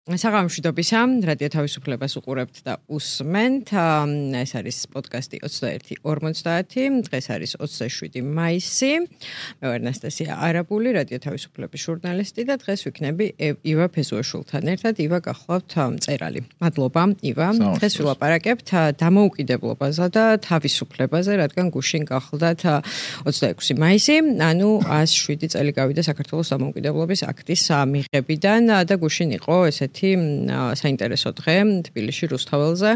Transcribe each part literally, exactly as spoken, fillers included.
საღამოშვიდობისა, რადიო თავისუფლებას უყურებთ და უსმენთ. ეს არის პოდკასტი ოცდაერთი ორმოცდაათი, დღეს არის ოცდაშვიდი მაისი. მე ვარ ნასტასია არაბული, რადიო თავისუფლების ჟურნალისტი და დღეს ვიქნები ივა ფეზუაშვილთან ერთად. ივა, გახლავთ მწერალი. მადლობა, ივა. დღეს ვილაპარაკებთ დამოუკიდებლობაზე და თავისუფლებაზე, რადგან გუშინ გახლდათ ოცდაექვსი მაისი, ანუ ას შვიდი წელი გავიდა საქართველოს დამოუკიდებლობის აქტის მიღებიდან და გუშინ იყო ესეთი საინტერესო დღე თბილისში რუსთაველზე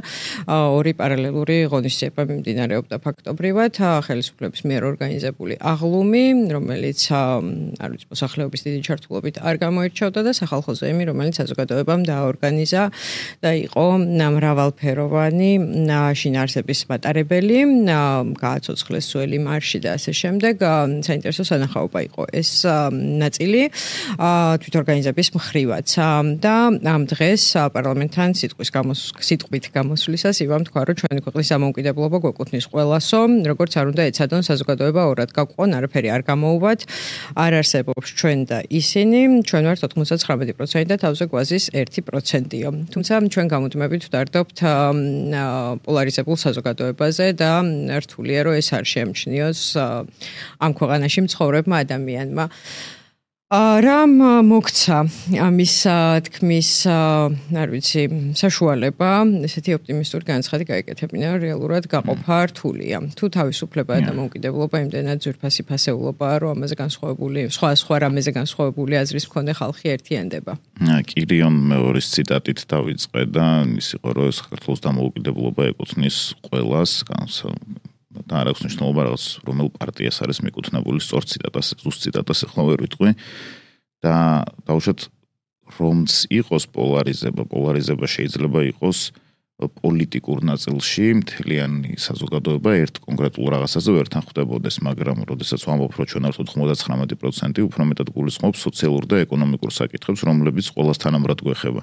ორი პარალელური ღონისძიება მიმდინარეობდა ფაქტობრივად ხელისუფლების მიერ ორგანიზებული აღლუმი, რომელიც არ ვიცი მოსახლეობის დიდი ჩართულობით არ გამოირჩეოდა და სახალხო ზეიმი, რომელიც საზოგადოებამ დააორგანიზა და იყო მრავალფეროვანი შინაარსების მატარებელი, გააცოცხლეს სუელი მარში და ასე შემდეგ. საინტერესო სანახაობა იყო ეს ნაწილი თვითორგანიზების მხრივაც და ამ დღეს პარლამენტთან სიტყვის სიტყვით გამოსვლისას ივამ თქვა, რომ ჩვენი ქვეყნის დამოუკიდებლობა გვეკუთვნის ყველასო, როგორც არ უნდა ეცადონ საზოგადოება ორად გაგვყონ, არაფერი არ გამოუვათ, არ არსებობს ჩვენ და ისინი, ჩვენ ვართ ოთხმოცდათხრამეტი პროცენტი და თავზე გვაზის ერთი პროცენტიო. თუმცა ჩვენ გამუდმებით ვდარდობთ პოლარიზებულ საზოგადოებაზე და რთულია, რომ ეს არ შეამჩნიოს ამ ქვეყანაში მცხოვრებმა ადამიანმა. რამ მოგცა ამის თქმის, არ ვიცი, საშუალება, ესეთი ოპტიმისტური განცხადი გაეკეთებინა, რეალურად გაყოფა რთულია. თუ თავისუფლება და დამოუკიდებლობა იმდენად ძვირფასი ფასეულობაა, რომ ამაზე განსხვავებული, სხვა სხვა რამეზე განსხვავებული აზრის მქონე ხალხი ერთიანდება. კირიონ მეორის ციტატით დავიწყე და ის იყო, რომ საქართველოს დამოუკიდებლობა ეკუთვნის ყველას, და არ აქვს მნიშვნელობა რაღაც რომელ პარტიას არის მიკუთვნებული, სწორ ციტატას, ზუსტ ციტატას ახლა ვერ ვიტყვი და დავუშვათ რომც იყოს პოლარიზება, პოლარიზება შეიძლება იყოს პოლიტიკურ ნაწილში, მთლიანი საზოგადოება ერთ კონკრეტულ რაღაცაზე ვერ თან ხვდებოდეს, მაგრამ როდესაც ვამბობ, რომ ჩვენ ვართ ოთხმოცდათხრამეტი პროცენტი, უფრო მეტად გულისხმობს სოციალურ და ეკონომიკურ საკითხებს, რომლებიც ყველას თანაბრად გვეხება.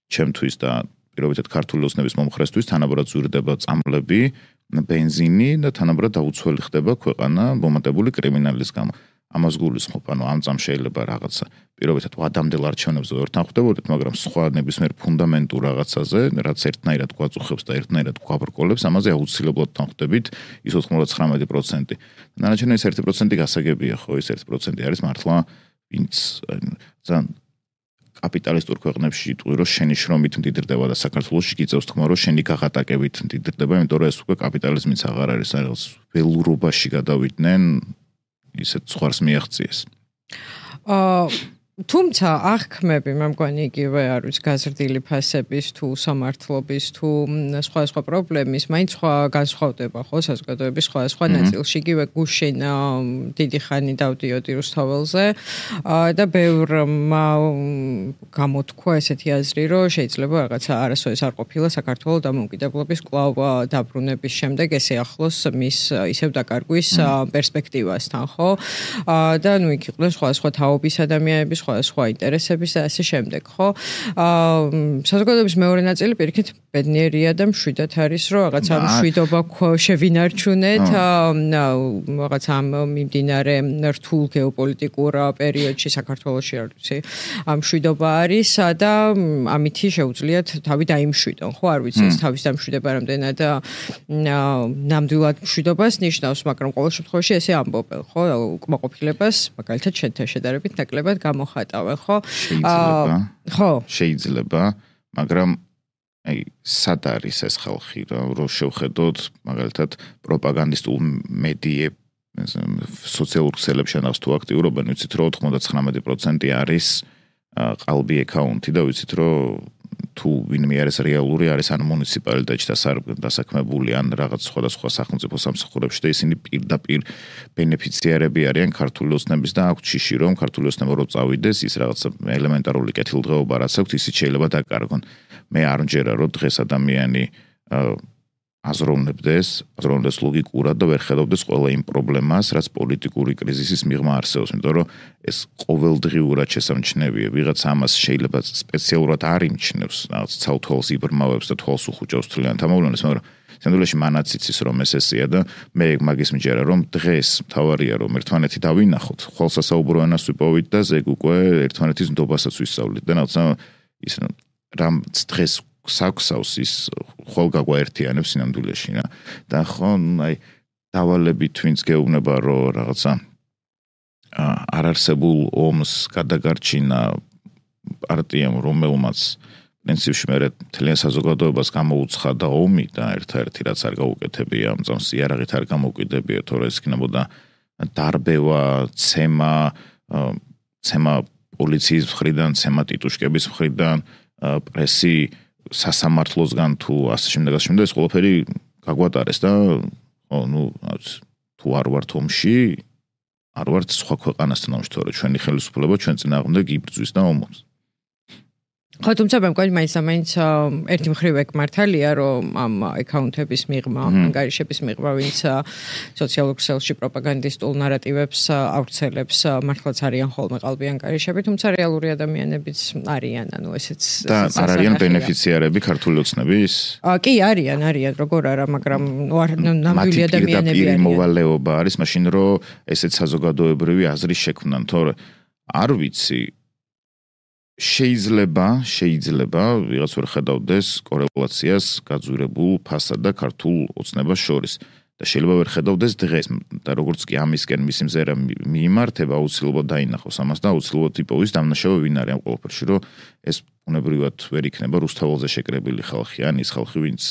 ჩემთვის და პირობითად ქართული ოცნების მომხრესთვის თანაბრად ზურდება წამლები, ბენზინი და თანაბრად დაუცველი ხდება ქვეყანა მომატებული კრიმინალის გამო. ამას გულისხმობ, ანუ ამ წამს შეიძლება რაღაცა პირობითად ვადამდელ არჩევნებზე ვერ თან ხვდებოდეთ, მაგრამ სხვა ნებისმიერ ფუნდამენტურ რაღაცაზე, რაც ერთნაირად გვაწუხებს და ერთნაირად გვაბრკოლებს, ამაზე აუცილებლად თან ხვდებით ის ოთხმოცდათხრამეტი პროცენტი. დანარჩენი ეს ერთი პროცენტი გასაგებია, ხო, ეს ერთი პროცენტი არის მართლა ვინც ძალიან კაპიტალისტურ ქვეყნებში იტყვი, რომ შენი შრომით მდიდრდება და საქართველოში გიწევს თქმა, რომ შენი გაღატაკებით მდიდრდება, იმიტომ რომ ეს უკვე კაპიტალიზმიც აღარ არის, რაღაც ველურობაში გადავიდნენ, ისეთ ზღვარს მიაღწიეს. აა თუმცა აღქმები მე მგონი იგივე არ ვიცი გაზრდილი ფასების თუ სამართლობის თუ სხვა სხვა პრობლემის მაინც სხვა განსხვავდება ხო საზოგადოების სხვა სხვა ნაწილში იგივე გუშინ დიდი ხანი დავდიოდი რუსთაველზე და ბევრმა გამოთქვა ესეთი აზრი რომ შეიძლება რაღაცა არასოდეს არ ყოფილა საქართველოს დამოუკიდებლობის კვლავ დაბრუნების შემდეგ ესე ახლოს მის ისევ დაკარგვის პერსპექტივასთან ხო და ნუ იქ იყვნენ სხვა სხვა თაობის ადამიანები სხვა ინტერესების და ასე შემდეგ, ხო? აა საზოგადოების მეორე ნაწილი პირიქით ბედნიერია და მშვიდად არის, რომ რაღაც ამ მშვიდობა შევინარჩუნეთ, რაღაც ამ მიმდინარე რთულ გეოპოლიტიკურ პერიოდში საქართველოში არ ვიცი, ამ მშვიდობა არის და ამითი შეუძლიათ თავი დაიმშვიდონ, ხო? არ ვიცი, ეს თავის დამშვიდება რამდენად ნამდვილად მშვიდობას ნიშნავს, მაგრამ ყოველ შემთხვევაში ესე ამბობენ, ხო? უკმაყოფილებას მაგალითად შენთან შედარებით ნაკლებად გამოხატავენ. ხო? შეიძლება. ხო. შეიძლება, მაგრამ აი, სად არის ეს ხალხი, რომ შევხედოთ მაგალითად პროპაგანდისტულ მედიებს, სოციალურ ქსელებში ანავს თუ აქტიურობენ, ვიცით რომ ოთხმოცდათხრამეტი პროცენტი არის ყალბი აკაუნტი და ვიცით რომ თუ ვინმე არის რეალური, არის ან მუნიციპალიტეტში დასაქმებული, ან რაღაც სხვადასხვა სახელმწიფო სამსახურებში და ისინი პირდაპირ ბენეფიციარები არიან ქართული ოცნების და აქვთ შიში, რომ ქართული ოცნება რო წავიდეს, ის რაღაც ელემენტარული კეთილდღეობა რაც აქვთ, ისიც შეიძლება დაკარგონ. მე არ მჯერა, რომ დღეს ადამიანი აზროვნებდეს, აზროვნებდეს ლოგიკურად და ვერ ხედავდეს ყველა იმ პრობლემას, რაც პოლიტიკური კრიზისის მიღმა არსებობს, იმიტომ რომ ეს ყოველდღიურად შესამჩნევია, ვიღაც ამას შეიძლება სპეციალურად არ იმჩნევს, რაღაც ცალ-თვალს იბრმავებს და თვალს უხუჭავს თლიანად ამოვლენას, მაგრამ სამდვილეში მანაც იცის რომ ეს ესეა და მე მაგის მჯერა რომ დღეს თავარია რომ ერთმანეთი დავინახოთ, ხვალსასაუბრო ენას ვიპოვით და ზეგ უკვე ერთმანეთის ნდობასაც ვისწავლით და რაღაცა ის რამ დღეს საქსავს ის ხოლ გაგვაერთიანებს სინამდვილეში რა და ხო აი დავალებით ვინც გეუბნება რომ რაღაცა არ არსებულ ომს გადაგარჩინა პარტიამ რომელმაც პრინციპში მე თლიან საზოგადოებას გამოუცხადა ომი და ერთ-ერთი რაც არ გაუკეთებია ამ წამს იარაღით არ გამოუკიდებია თორე ეს იქნებოდა დარბევა ცემა ცემა პოლიციის მხრიდან ცემა ტიტუშკების მხრიდან პრესი სასამართლოსგან თუ ასე შემდეგ ასე შემდეგ ეს ყველაფერი გაგვატარეს და ну თუ არ ვართ ომში არ ვართ სხვა ქვეყანასთან ომში თორე ჩვენი ხელისუფლება ჩვენ წინააღმდეგ იბრძვის და ომობს ხო თუმცა მე მგონი მაინც მაინც ერთი მხრივ ეგ მართალია რომ ამ აკაუნტების მიღმა ანგარიშების მიღმა ვინც სოციალურ ქსელში პროპაგანდისტულ ნარატივებს ავრცელებს მართლაც არიან ხოლმე ყალბი ანგარიშები თუმცა რეალური ადამიანებიც არიან ანუ ესეც და არ არიან ბენეფიციარები ქართული ოცნების კი არიან არიან როგორ არა მაგრამ ნამდვილი ადამიანები არიან მოვალეობა არის მაშინ რომ ესეც საზოგადოებრივი აზრის შექმნან თორე არ ვიცი შეიძლება შეიძლება ვიღაც ვერ ხედავდეს კორელაციას გაძვირებულ ფასად და ქართულ ოცნებას შორის და შეიძლება ვერ ხედავდეს დღეს და როგორც კი ამისკენ მისი მზერა მიიმართება აუცილებლად დაინახოს ამას და აუცილებლად იპოვის დამნაშავე ვინ არის ამ ყველაფერში რომ ეს უნებრივად ვერ იქნება რუსთაველზე შეკრებილი ხალხი ან ის ხალხი ვინც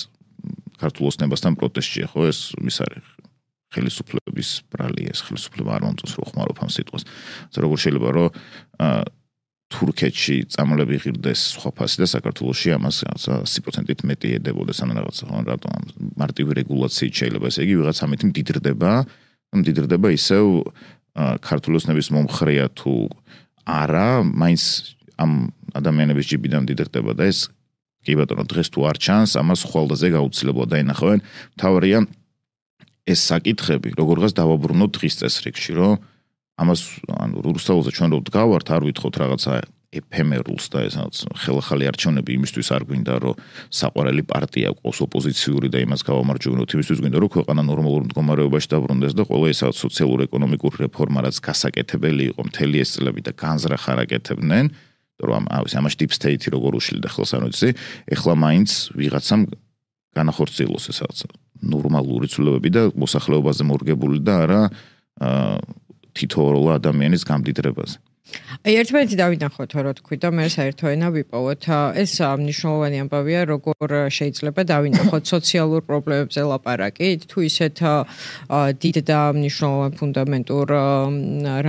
ქართულ ოცნებასთან პროტესტშია ხო ეს ის არის ხელისუფლების ბრალი ეს ხელისუფლება არ მომწონს რომ ხმარობ ამ სიტყვას როგორ შეიძლება რომ თურქეთში წამლები ღირდეს სხვა ფასი და საქართველოში ამას ათი პროცენტით მეტი ედებოდეს ან რაღაცა ხო რატომ მარტივი რეგულაციით შეიძლება ესე იგი ვიღაც ამით მდიდრდება მდიდრდება ისევ ქართული ოცნების მომხრეა თუ არა მაინც ამ ადამიანების ჯიბიდან მდიდრდება და ეს კი ბატონო დღეს თუ არ ჩანს ამას ხვალდაზე გაუცილებლად დაინახავენ თავარია ეს საკითხები როგორღაც დავაბრუნოთ დღის წესრიგში რომ ამას ანუ რუსთაველზე ჩვენ რო დგავართ არ ვითხოვთ რაღაცა ეფემერულს და ესაც ხელახალი არჩევნები იმისთვის არ გვინდა რომ საყვარელი პარტია ყავს ოპოზიციური და იმას გავამარჯვებინოთ იმისთვის გვინდა რომ ქვეყანა ნორმალურ მდგომარეობაში დაბრუნდეს და ყველა ეს სოციალურ-ეკონომიკურ რეფორმა რაც გასაკეთებელი იყო მთელი ეს წლები და განზრახ არ აკეთებდნენ რომ ამაში deep state-ი როგორ უშლიდა ხელს არ ვიცი ეხლა მაინც ვიღაცამ განახორციელოს ესაც ნორმალური ცვლილებები და მოსახლეობაზე მორგებული და არა თითოეულ ადამიანის გამდიდრებაზე. აი ერთმანეთი დავინახოთ რა თქვი და მე საერთო ენა ვიპოვოთ. ეს მნიშვნელოვანი ამბავია, როგორ შეიძლება დავინახოთ სოციალურ პრობლემებზე ლაპარაკით, თუ ისეთ დიდ და მნიშვნელოვან ფუნდამენტურ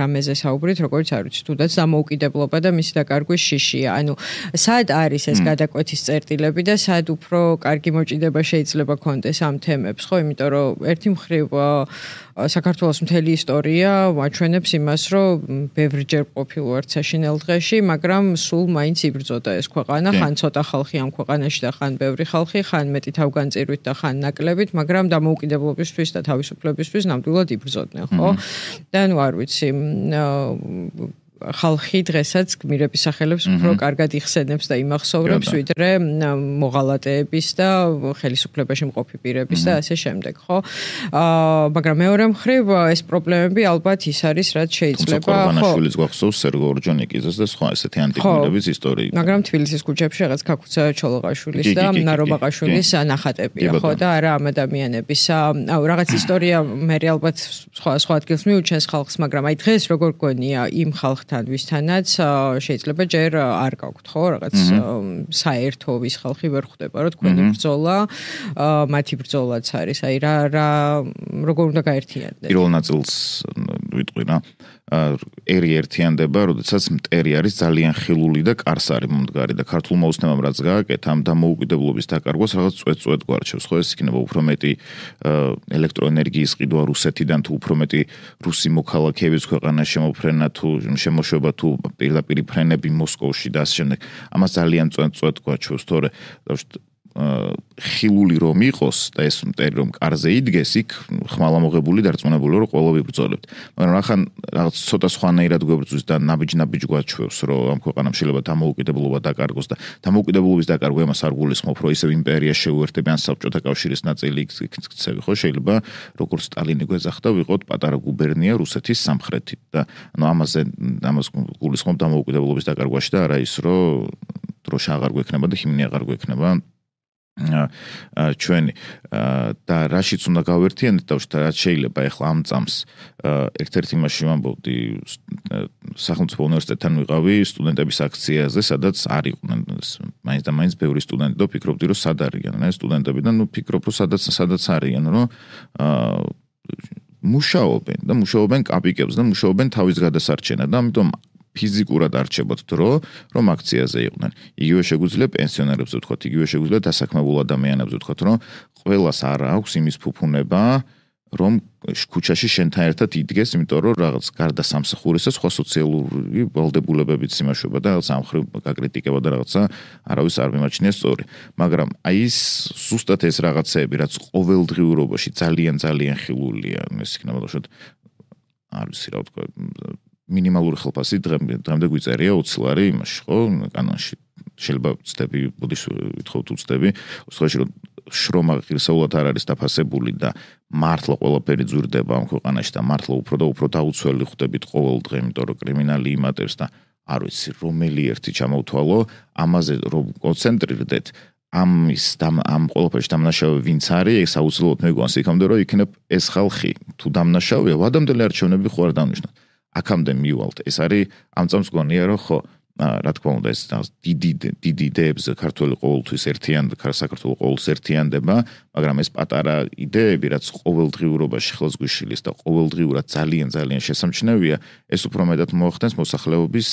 რამეზე საუბრით, როგორც არ ვიცი, თუნდაც დამოუკიდებლობა და მისი დაკარგვის შიშია. ანუ სად არის ეს გადაკვეთის წერტილები და სად უფრო კარგი მოჭიდება შეიძლება კონდეს ამ თემებს, ხო? იმიტომ რომ ერთი მხრივ საქართველოს მთელი ისტორია აჩვენებს იმას, რომ ბევრჯერ ყოფილ ვართ საშინელ დღეში, მაგრამ სულ მაინც იბრძოდა ეს ქვეყანა, ხან ცოტა ხალხი ამ ქვეყანაში და ხან ბევრი ხალხი, ხან მეტი თავგანწირვით და ხან ნაკლებით, მაგრამ დამოუკიდებლობისთვის და თავისუფლებისთვის ნამდვილად იბრძოდნენ, ხო? და ნუ არ ვიცი, ხალხი დღესაც გმირების სახელებს უფრო კარგად იხსენებს და იმახსოვრებს, ვიდრე მოღალატეების და ხელისუფლებაში მყოფი პირების და ასე შემდეგ, ხო? აა, მაგრამ მეორე მხრივ ეს პრობლემები ალბათ ის არის, რაც შეიძლება, ხო? ყორბანაშვილის გვახსოვს, სერგო ორჯონიკიძეს და სხვა ესეთი ანტიგმირების ისტორია. მაგრამ თბილისის ქუჩებში რაღაც ქაქუცა ჩოლოღაშვილის და ნარო ბაყაშვილის ნახატებია, ხო? და არა ამ ადამიანების. აუ, რაღაც ისტორია მე ალბათ სხვა სხვა ადგილს მიუჩენს ხალხს, მაგრამ აი დღეს როგორ გონია იმ ხალხ თან ვისთანაც შეიძლება ჯერ არ გაქვთ ხო რაღაც საერთო ვის ხალხი ვერ ხვდება რომ თქვენი ბრძოლა მათი ბრძოლაც არის აი რა რა როგორ უნდა გაერთიანდეს პირველ ნაწილს ვიტყვი რა ერი ერთიანდება როდესაც მტერი არის ძალიან ხილული და კარსარი მომდგარი და ქართულმა ოცნებამ რაც გააკეთა ამ დამოუკიდებლობის დაკარგვას რაღაც წვეთ-წვეთ გვარჩევს ხო ეს იქნება უფრო მეტი ელექტროენერგიის ყიდვა რუსეთიდან თუ უფრო მეტი რუსი მოქალაქეების ქვეყანაში შემოფრენა თუ შემოშვება თუ პირდაპირ ფრენები მოსკოვში და ასე შემდეგ ამას ძალიან წვეთ-წვეთ გვაჩვევს თორე ხილული რომ იყოს და ეს მტერი რომ კარზე იდგეს იქ ხმალამოღებული დარწმუნებული რომ ყველა ვიბრძოლებთ მაგრამ ახან რაღაც ცოტა სხვანაირად გვებრძვის და ნაბიჯ-ნაბიჯ გვაჩვევს რომ ამ ქვეყანამ შეიძლება დამოუკიდებლობა დაკარგოს და დამოუკიდებლობის დაკარგვა იმას არ გულისხმობ რომ ისევ იმპერია შეუერთებიან საბჭოთა კავშირის ნაწილი იქცევი ხო შეიძლება როგორც სტალინი გვეძახდა ვიყოთ პატარა გუბერნია რუსეთის სამხრეთით და ანუ ამაზე ამას გულისხმობ დამოუკიდებლობის დაკარგვაში და არა ის რომ დროშა აღარ გვექნება და ჰიმნი აღარ გვექნება ჩვენი და რაშიც უნდა გავერთიანდეთ თავში რაც შეიძლება ახლა ამ წამს ერთ-ერთი მასში ვამბობდი სახელმწიფო უნივერსიტეტთან ვიყავი სტუდენტების აქციაზე სადაც არ იყვნენ მაინც და მაინც ბევრი სტუდენტი და ფიქრობდი რომ სად არიან ეს სტუდენტები და ნუ ფიქრობ რომ სადაც სადაც არიან რომ მუშაობენ და მუშაობენ კაპიკებს და მუშაობენ თავის გადასარჩენად და ამიტომ ფიზიკურად არჩებოთ დრო, რომ აქციაზე იყვნენ. იგივე შეგვიძლია პენსიონერებს ვთქვათ, იგივე შეგვიძლია დასაქმებულ ადამიანებს ვთქვათ, რომ ყველას არ აქვს იმის ფუფუნება, რომ ქუჩაში შენთან ერთად იდგეს, იმიტომ რომ რაღაც გარდა სამსახურისა სხვა სოციალური ვალდებულებებიც იმაშვება და რაღაც ამ ხრივ გაკრიტიკება და რაღაცა არავის არ მიმაჩნია სწორი. მაგრამ აი ეს ზუსტად ეს რაღაცეები, რაც ყოველდღიურობაში ძალიან ძალიან ხილულია, ეს იქნება თქო არ ვიცი რა ვთქვა მინიმალური ხელფასი დღემდე გვიწერია ოცი ლარი იმაში ხო კანონში შეიძლება ვწდები ბუდის ვითხოვთ უწდები უცხოში რომ შრომა ღირსეულად არ არის დაფასებული და მართლა ყველაფერი ძვირდება ამ ქვეყანაში და მართლა უფრო და უფრო დაუცველი ხდებით ყოველ დღე იმიტომ რომ კრიმინალი იმატებს და არ ვიცი რომელი ერთი ჩამოვთვალო ამაზე რომ კონცენტრირდეთ ამის ამ ყველაფერში დამნაშავე ვინც არის ეს აუცილებლად მეგვანს იქამდე რომ იქნებ ეს ხალხი თუ დამნაშავეა ვადამდელი არჩევნები ხო არ დავნიშნოთ აქამდე მივალთ ეს არის ამ წამს გონია რომ ხო რა თქმა უნდა ეს დიდი დიდი იდეებს ქართული ყოველთვის ერთიან საქართველოს ყოველთვის ერთიანდება მაგრამ ეს პატარა იდეები რაც ყოველდღიურობაში ხელს გვიშილის და ყოველდღიურად ძალიან ძალიან შესამჩნევია ეს უფრო მეტად მოახდენს მოსახლეობის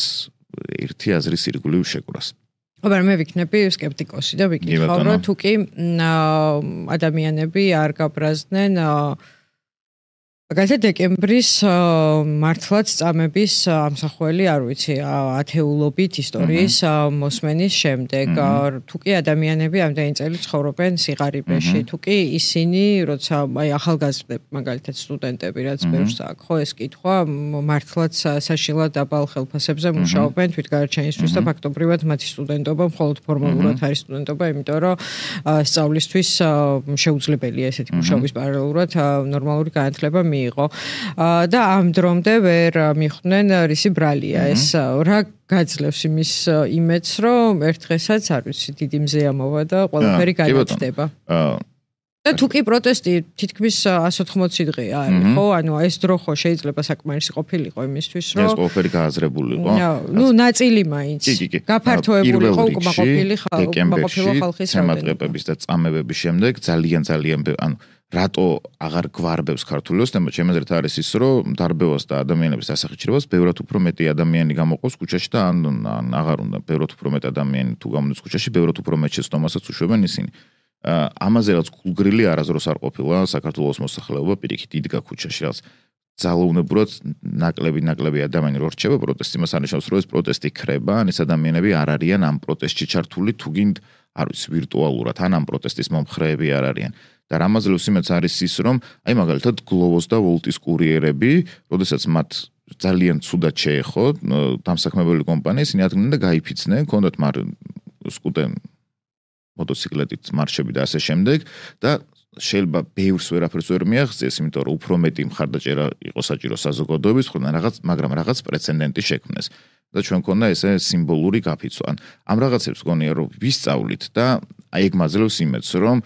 ერთი აზრის ირგვლივ შეკვრას აბა მე ვიქნები სკეპტიკოსი და ვიკითხავ რომ თუ კი ადამიანები არ გაბრაზდნენ მაგალითად დეკემბრის მართლაც წამების ამსახველი არ ვიცი ათეულობით ისტორიის მოსმენის შემდეგ თუ კი ადამიანები ამდენი წელი ცხოვრობენ სიღარიბეში თუ კი ისინი როცა აი ახალგაზრდები მაგალითად სტუდენტები რაც ბევრს აქვს ხო ეს კითხვა მართლაც საშინლად დაბალ ხელფასებზე მუშაობენ თვითგარჩენისთვის და ფაქტობრივად მათი სტუდენტობა მხოლოდ ფორმალურად არის სტუდენტობა იმიტომ რომ სწავლისთვის შეუძლებელია ესეთი მუშაობის პარალელურად ნორმალური განათლება იყო და ამ დრომდე ვერ მიხვდნენ რისი ბრალია ეს რა გაძლევს იმის იმედს რომ ერთ დღესაც არ ვიცი დიდი მზეამოვა და ყველაფერი გადაწყდება და თუ კი პროტესტი თითქმის εκατს ოთხმოცი დღე არის ხო ანუ ეს დრო ხო შეიძლება საკმარისი ყოფილიყო იმისთვის რომ ეს ყველაფერი გააზრებულიყო ნუ ნაწილი მაინც გაფართოებულიყო უკმაყოფილი ხალხის შემატყებების და წამებების შემდეგ ძალიან ძალიან ანუ რატო აღარ გვარბევს ქართული ოცნება ჩემეზრეთ არის ის რომ დარბევას და ადამიანების დასახიჩრებას ბევრად უფრო მეტი ადამიანი გამოყავს ქუჩაში და ან აღარ უნდა ბევრად უფრო მეტი ადამიანი თუ გამოდის ქუჩაში ბევრად უფრო მეტ შეცდომასაც უშვებენ ისინი ამაზე რაც გულგრილი არასდროს არ ყოფილა საქართველოს მოსახლეობა პირიქით იდგა ქუჩაში რაც ძალაუნებურად ნაკლები ნაკლები ადამიანი რო რჩება პროტესტი მას არნიშნავს რომ ეს პროტესტი ქრება ან ეს ადამიანები არ არიან ამ პროტესტში ჩართული თუ გინდ არ ვიცი ვირტუალურად ან ამ პროტესტის მომხრეები არ არიან და რამაზლოს იმეც არის ის რომ აი მაგალითად გლოვოს და ვოლტის კურიერები, როდესაც მათ ძალიან ცუდად შეეხო დამსაქმებელი კომპანია, ისინი ადგნენ და გაიფიცნენ, ჰქონდათ მარ სკუტენ მოტოციკლეტით მარშები და ასე შემდეგ და შეიძლება ბევრს ვერაფერს ვერ მიაღწიეს, იმიტომ რომ უფრო მეტი მხარდაჭერა იყო საჭირო საზოგადოების მხრიდან რაღაც, მაგრამ რაღაც პრეცედენტი შექმნეს. და ჩვენ მქონდა ესე სიმბოლური გაფიცვა. ამ რაღაცებს გონია რომ ვისწავლით და აი ეგ მაძლევს იმედს რომ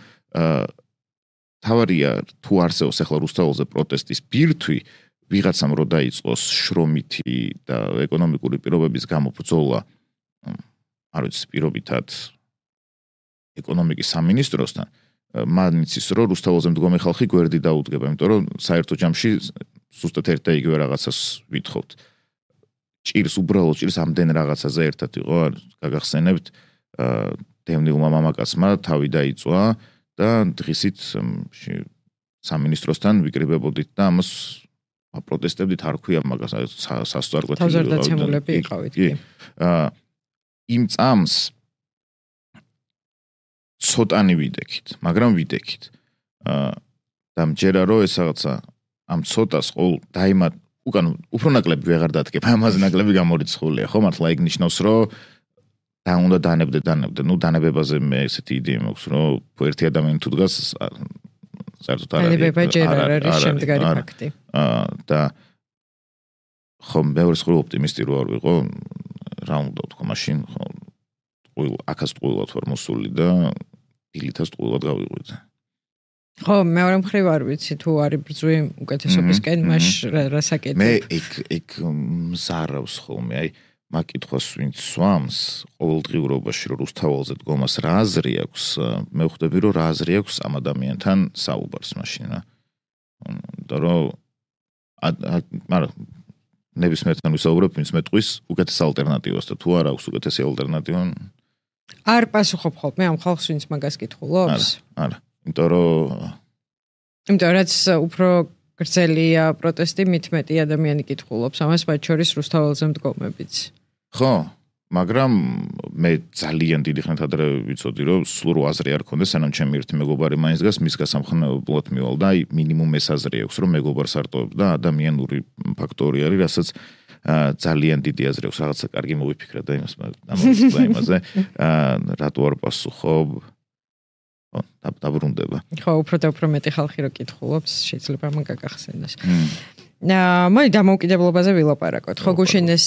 თავარია თუ არსებობს ახლა რუსთაველზე პროტესტის ბირთვი ვიღაცამ რო დაიწყოს შრომითი და ეკონომიკური პირობების გამო ბრძოლა არ ვიცი პირობითად ეკონომიკის სამინისტროსთან მაინც ის რომ რუსთაველზე მდგომი ხალხი გვერდი დაუდგება იმიტომ რომ საერთო ჯამში ზუსტად ერთ და იგივე რაღაცას ვითხოვთ ჭირს უბრალოდ ჭირს ამდენ რაღაცაზე ერთად იყო გაგახსენებთ დევნილმა მამაკაცმა თავი დაიწვა და დღისით სამინისტროსთან ვიკრიბებოდით და ამას პროტესტებდით არ ქვია მაგას სასწორკვეთილი თავზარდაცემულები იყავით კი იმ წამს ცოტანი ვიდექით მაგრამ ვიდექით და მჯერა რომ ეს რაღაცა ამ ცოტას ყოველ დაიმატ უკან უფრო ნაკლები ვეღარ დადგება ამაზე ნაკლები გამორიცხულია ხო მართლა ეგ ნიშნავს რომ და უნდა დანებდე დანებდე ნუ დანებებაზე მე ესეთი იდეა მაქვს რომ ერთი ადამიანი თუ დგას საერთოდ არ არის შემდგარი ფაქტი და ხო მეორე სხვა ოპტიმისტი რო არ ვიყო რა უნდა ვთქვა მაშინ ხო ტყუილ, აქაც ტყუილად ვარ მოსული და დილითაც ტყუილად გავიღვიძე. ხო, მეორე მხრივ არ ვიცი თუ არის ბრძვი უკეთესობისკენ, მაშ რა საკეთებ? მე ეგ ეგ მზარავს ხოლმე, აი მაკითხვას ვინც სვამს ყოველდღიურობაში რომ რუსთაველზე დგომას რა აზრი აქვს, მე ვხვდები რომ რა აზრი აქვს ამ ადამიანთან საუბარს მაშინ რა. და რომ მაგრამ ნებისმიერთან ვისაუბრებ, ვინც მეტყვის უკეთეს ალტერნატივას და თუ არ აქვს უკეთესი ალტერნატივა არ პასუხობ ხოლმე ამ ხალხს ვინც მაგას კითხულობს? არა, არა. იმიტომ რომ იმიტომ რაც უფრო გრძელია პროტესტი, მით მეტი ადამიანი კითხულობს ამას, მათ შორის რუსთაველზე მდგომებიც. ხო, მაგრამ მე ძალიან დიდი ხნით ადრე ვიცოდი, რომ სულ აზრი არ ქონდეს, სანამ ჩემი ერთი მეგობარი მაინც დგას, მის გასამხნევებლად მივალ და აი მინიმუმ ეს აზრი აქვს, რომ მეგობარს არტოვებ და ადამიანური ფაქტორი არის, რასაც ძალიან დიდი აზრი აქვს, რაღაცა კარგი მოვიფიქრე და იმას ამას და იმაზე, რატო არ პასუხობ? ხო, დაბრუნდება. ხო, უფრო და უფრო მეტი ხალხი რო კითხულობს, შეიძლება ამ გაგახსენოს. მოდი დამოუკიდებლობაზე ვილაპარაკოთ. ხო, გუშინეს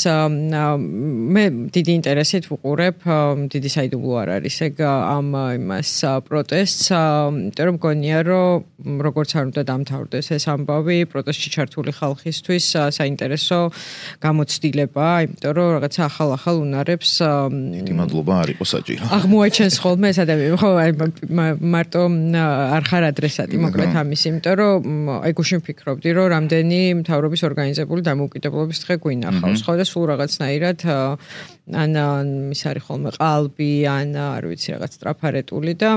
მე დიდი ინტერესით ვუყურებ, დიდი საიდუმლო არ არის ეგ ამ იმას პროტესტს, იმიტომ რომ მგონია რომ როგორც არ უნდა დამთავრდეს ეს ამბავი, პროტესტში ჩართული ხალხისთვის საინტერესო გამოცდილება, იმიტომ რომ რაღაცა ახალ-ახალ უნარებს დიდი მადლობა არ იყო საჭირო. აღმოაჩენს ხოლმე ეს ადამიანი. ხო, მარტო არ ხარ ადრესატი მოკლედ ამის, იმიტომ რომ აი გუშინ ვფიქრობდი, რომ რამდენი მთავრობის ორგანიზებული დამოუკიდებლობის დღე გვინახავს, ხო და სულ რაღაცნაირად ან ის არის ხოლმე ყალბი, ან არ ვიცი რაღაც ტრაფარეტული და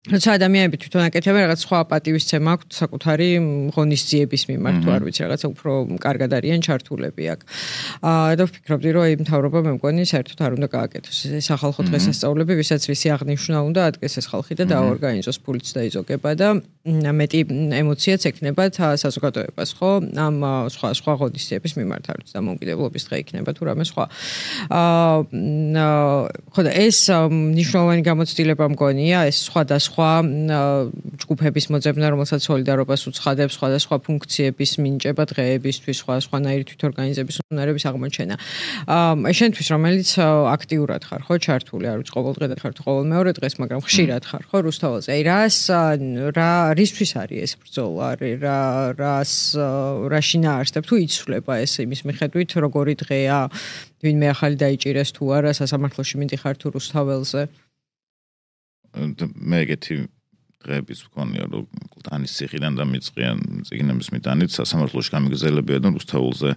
როცა ადამიანები თვითონ აკეთებენ რაღაც სხვა პატივისცემა აქვთ საკუთარი ღონისძიების მიმართ, თუ არ ვიცი რაღაცა უფრო კარგად არიან ჩართულები აქ. აა და ვფიქრობდი, რომ აი მთავრობა მე მგონი საერთოდ არ უნდა გააკეთოს ეს ახალხო დღესასწაულები, ვისაც ვისი აღნიშვნა უნდა ადგეს ეს ხალხი და დააორგანიზოს ფულიც დაიზოგება და მეტი ემოციაც ექნებათ საზოგადოებას, ხო? ამ სხვა სხვა ღონისძიების მიმართ არ ვიცი, დამოუკიდებლობის დღე იქნება თუ რამე სხვა. აა ხო და ეს მნიშვნელოვანი გამოცდილება მგონია, ეს სხვა და სხვა ჯგუფების მოძებნა, რომელსაც სოლიდარობას უცხადებს, სხვადასხვა ფუნქციების მინიჭება დღეებისთვის, სხვა სხვანაირი თვითორგანიზების უნარების აღმოჩენა. აა შენთვის რომელიც აქტიურად ხარ, ხო, ჩართული, არ ვიცი, ყოველ დღე და ხარ თუ ყოველ მეორე დღეს, მაგრამ ხშირად ხარ, ხო, რუსთაველზე. აი რას რა რისთვის არის ეს ბრძოლა, რა რას რა შინაარსებ თუ იცვლება ეს იმის მიხედვით, როგორი დღეა, ვინმე ახალი დაიჭირეს თუ არა, სასამართლოში მიდიხარ თუ რუსთაველზე? მე ეგეთი დღეების ვქონია, რომ კლდანის ციხიდან დამიწყიან წიგნების მიტანით სასამართლოში გამიგზელებია და რუსთაველზე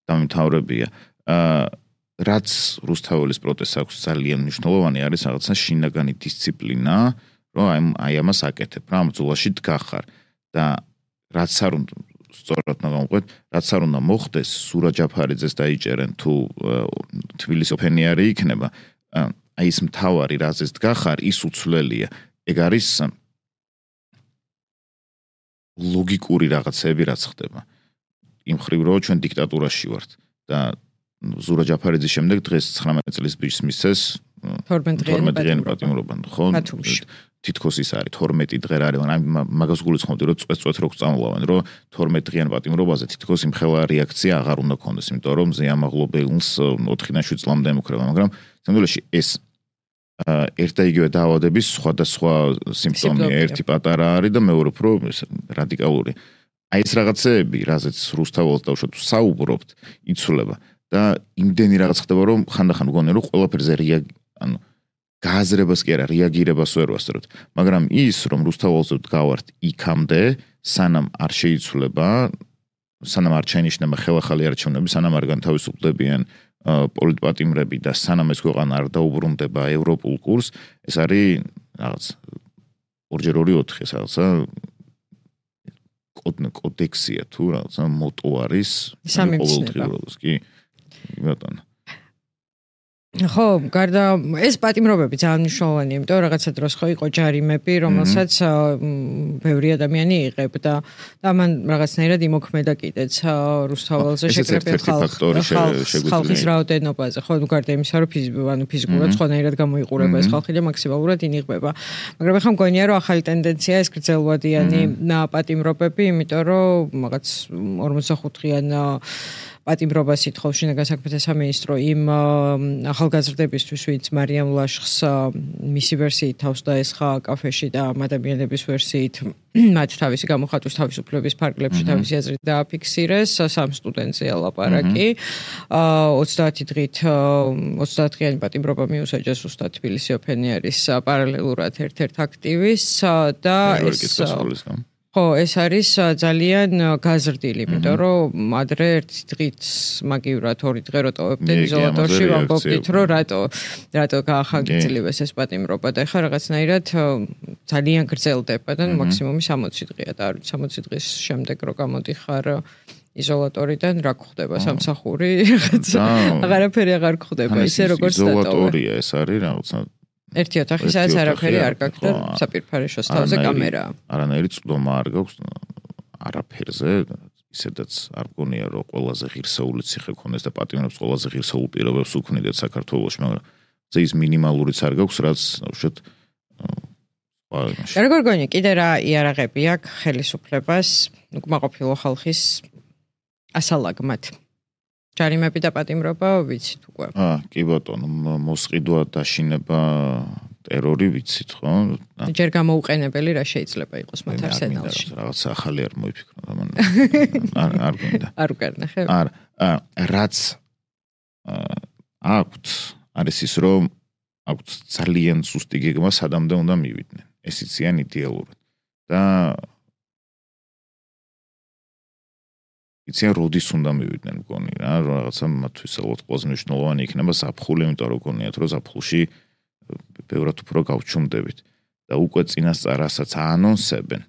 დამიმთავრებია. აა რაც რუსთაველის პროტესტს აქვს ძალიან მნიშვნელოვანი არის რაღაცა შინაგანი დისციპლინა, რომ აი ამას აკეთებ, რა ბრძოლაში დგახარ და რაც არ უნდა სწორად ნაგამყვეთ, რაც არ უნდა მოხდეს, სურა ჯაფარიძეს დაიჭერენ თუ თბილისი ოფენიარი იქნება. აი ეს მთავარი რაზეც დგახარ, ის უცვლელია. ეგ არის ლოგიკური რაღაცები, რაც ხდება. იმ ხრივ რომ ჩვენ დიქტატურაში ვართ და ზურა ჯაფარიძის შემდეგ დღეს ცხრამეტი წლის ბიჭს მისცეს თორმეტი პატიმრობა, ხო? თითქოს ის არის თორმეტი დღე რა არის, მაგრამ მაგას გულისხმობდი, რომ წვეთ-წვეთ რო წამლავენ, რომ თორმეტი დღიან პატიმრობაზე თითქოს იმ ხელა რეაქცია აღარ უნდა ქონდეს, იმიტომ რომ ზეამაღლობელს ოთხიდან შვიდ წლამდე ემუქრება, მაგრამ სამდვილეში ეს ერთ და იგივე დაავადების სხვადასხვა სიმპტომია, ერთი პატარა არის და მეორე უფრო რადიკალური. აი ეს რაღაცეები, რაზეც რუსთაველს დავუშვათ საუბრობთ, იცვლება და იმდენი რაღაც ხდება, რომ ხანდახან მგონია, რომ ყველაფერზე რეაგი, ანუ გააზრებას კი არა, რეაგირებას ვერ ვასწრებთ, მაგრამ ის, რომ რუსთაველზე ვდგავართ იქამდე, სანამ არ შეიცვლება, სანამ არ შეინიშნება ხელახალი არჩევნები, სანამ არ განთავისუფლებიან პოლიტპატიმრები და სანამ ეს ქვეყანა არ დაუბრუნდება ევროპულ კურსს, ეს არის რაღაც ორჯერ ორი ოთხი, ეს რაღაცა კოდექსია თუ რაღაცა მოტო არის ყოველდღიურობას, კი, ბატონო. ხო, გარდა ეს პატიმრობები ძალიან მნიშვნელოვანია, იმიტომ რომ რაღაცა დროს ხო იყო ჯარიმები, რომელსაც ბევრი ადამიანი იღებდა და მან რაღაცნაირად იმოქმედა კიდეც რუსთაველზე შეკრებილ ხალხის რაოდენობაზე. ხო, გარდა იმისა, რომ ანუ ფიზიკურად სხვანაირად გამოიყურება ეს ხალხი და მაქსიმალურად ინიღბება. მაგრამ ახლა მგონია, რომ ახალი ტენდენცია ეს გრძელვადიანი პატიმრობები, იმიტომ რომ რაღაც ორმოცდახუთი დღიან პატიმრობას ითხოვს შინაგან საქმეთა სამინისტრო იმ ახალგაზრდებისთვის, ვინც მარიამ ლაშხს მისი ვერსიით თავს დაესხა კაფეში და ამ ადამიანების ვერსიით მათ თავისი გამოხატვის თავისუფლების ფარგლებში თავისი აზრით დააფიქსირეს, სამ სტუდენტზე ლაპარაკი. ოცდაათი დღით ოცდაათ დღიანი პატიმრობა მიუსაჯეს უსტად თბილისი ოფენი არის პარალელურად ერთ-ერთ აქტივის და ეს ხო, ეს არის ძალიან გაზრდილი, იმიტომ რომ ადრე ერთი დღით მაგივრად ორი დღე რო ტოვებდნენ იზოლატორში, ვამბობდით, რომ რატო რატო გაახანგრძლივეს ეს პატიმრობა და ეხლა რაღაცნაირად ძალიან გრძელდება და მაქსიმუმი სამოცი დღეა და არ ვიცი სამოცი დღის შემდეგ რო გამოდიხარ იზოლატორიდან რა გხდება სამსახური, რაღაცა აღარაფერი აღარ გხდება, ისე როგორც დატოვა. იზოლატორია ეს არის რაღაცა ერთი ოთახი, სადაც არაფერი არ გაქვს და საპირფარეშოს თავზე კამერაა. არანაირი წვდომა არ გაქვს არაფერზე, ისედაც არ გონია რომ ყველაზე ღირსეული ციხე ქონდეს და პატიმრობს ყველაზე ღირსეულ პირობებს უქმნიდეთ საქართველოში, მაგრამ ზეის მინიმალურიც არ გაქვს, რაც უშუალოდ რა გორგონია, კიდე რა იარაღები აქვს ხელისუფლებას, უკმაყოფილო ხალხის ასალაგმად. ჯარიმები და პატიმრობა ვიცით უკვე. აა, კი ბატონო, მოსყიდვა, დაშინება, ტერორი ვიცით, ხო? ჯერ გამოუყენებელი რა შეიძლება იყოს მათ არსენალში. რაღაც ახალი არ მოიფიქრო, არ არ გინდა. არ უკარნა ხე? არ, რაც აქვთ, არის ის, რომ აქვთ ძალიან სუსტი გეგმა, სადამდე უნდა მივიდნენ. ეს იციან იდეალურად. და იციან როდის უნდა მივიდნენ მგონი რა, რაღაცა მათთვის ალბათ ყველაზე მნიშვნელოვანი იქნება ზაფხული, იმიტომ რომ გონიათ, რომ ზაფხულში ბევრად უფრო გავჩუმდებით და უკვე წინასწარ-რასაც აანონსებენ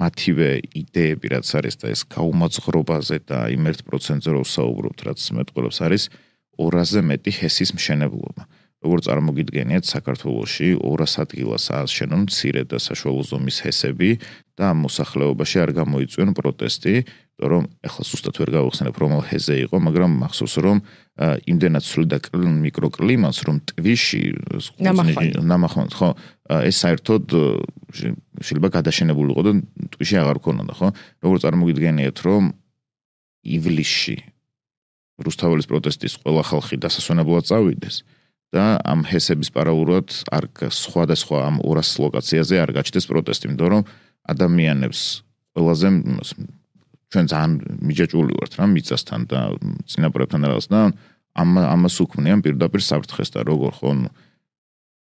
მათივე იდეები, რაც არის და ეს გაუმაძღრობაზე და იმ ერთ პროცენტზე რო ვსაუბრობთ, რაც მეტყველებს არის ორასზე მეტი ჰესის მშენებლობა. როგორც წარმოგიდგენიათ, საქართველოში ორას ადგილას ააშენონ მცირე და საშუალო ზომის ჰესები და ამ მოსახლეობაში არ გამოიწვიონ პროტესტი, რომ ეხლა სუსტად ვერ გავიხსენებ რომელ ჰეზე იყო, მაგრამ მახსოვს რომ იმდენად სული და მიკროკლიმატს რომ ტვიში ნამახვანთ, ხო, ეს საერთოდ შეიძლება გადაშენებული იყო და ტვიში აღარ ქონოდა, ხო? როგორც წარმოგიდგენიათ, რომ ივლისში რუსთაველის პროტესტის ყველა ხალხი დასასვენებლად წავიდეს და ამ ჰესების პარალელურად არ სხვადასხვა ამ ორას ლოკაციაზე არ გაჩნდეს პროტესტი, იმიტომ რომ ადამიანებს ყველაზე ჩვენ ძალიან მიჯაჭვული ვართ რა მიწასთან და წინაპრებთან რაღაც და ამ ამას უქმნიან პირდაპირ საფრთხეს და როგორ ხო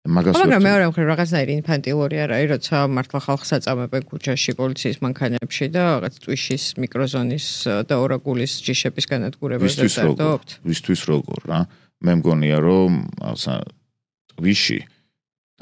მაგას მაგრამ მეორე მხრივ რაღაცნაირი ინფანტილური არ არის, როცა მართლა ხალხს აწამებენ ქუჩაში პოლიციის მანქანებში და რაღაც ტვიშის მიკროზონის და ორაგულის ჯიშების განადგურებაზე დარდობთ. ვისთვის როგორ რა? მე მგონია რომ რაღაცა ტვიში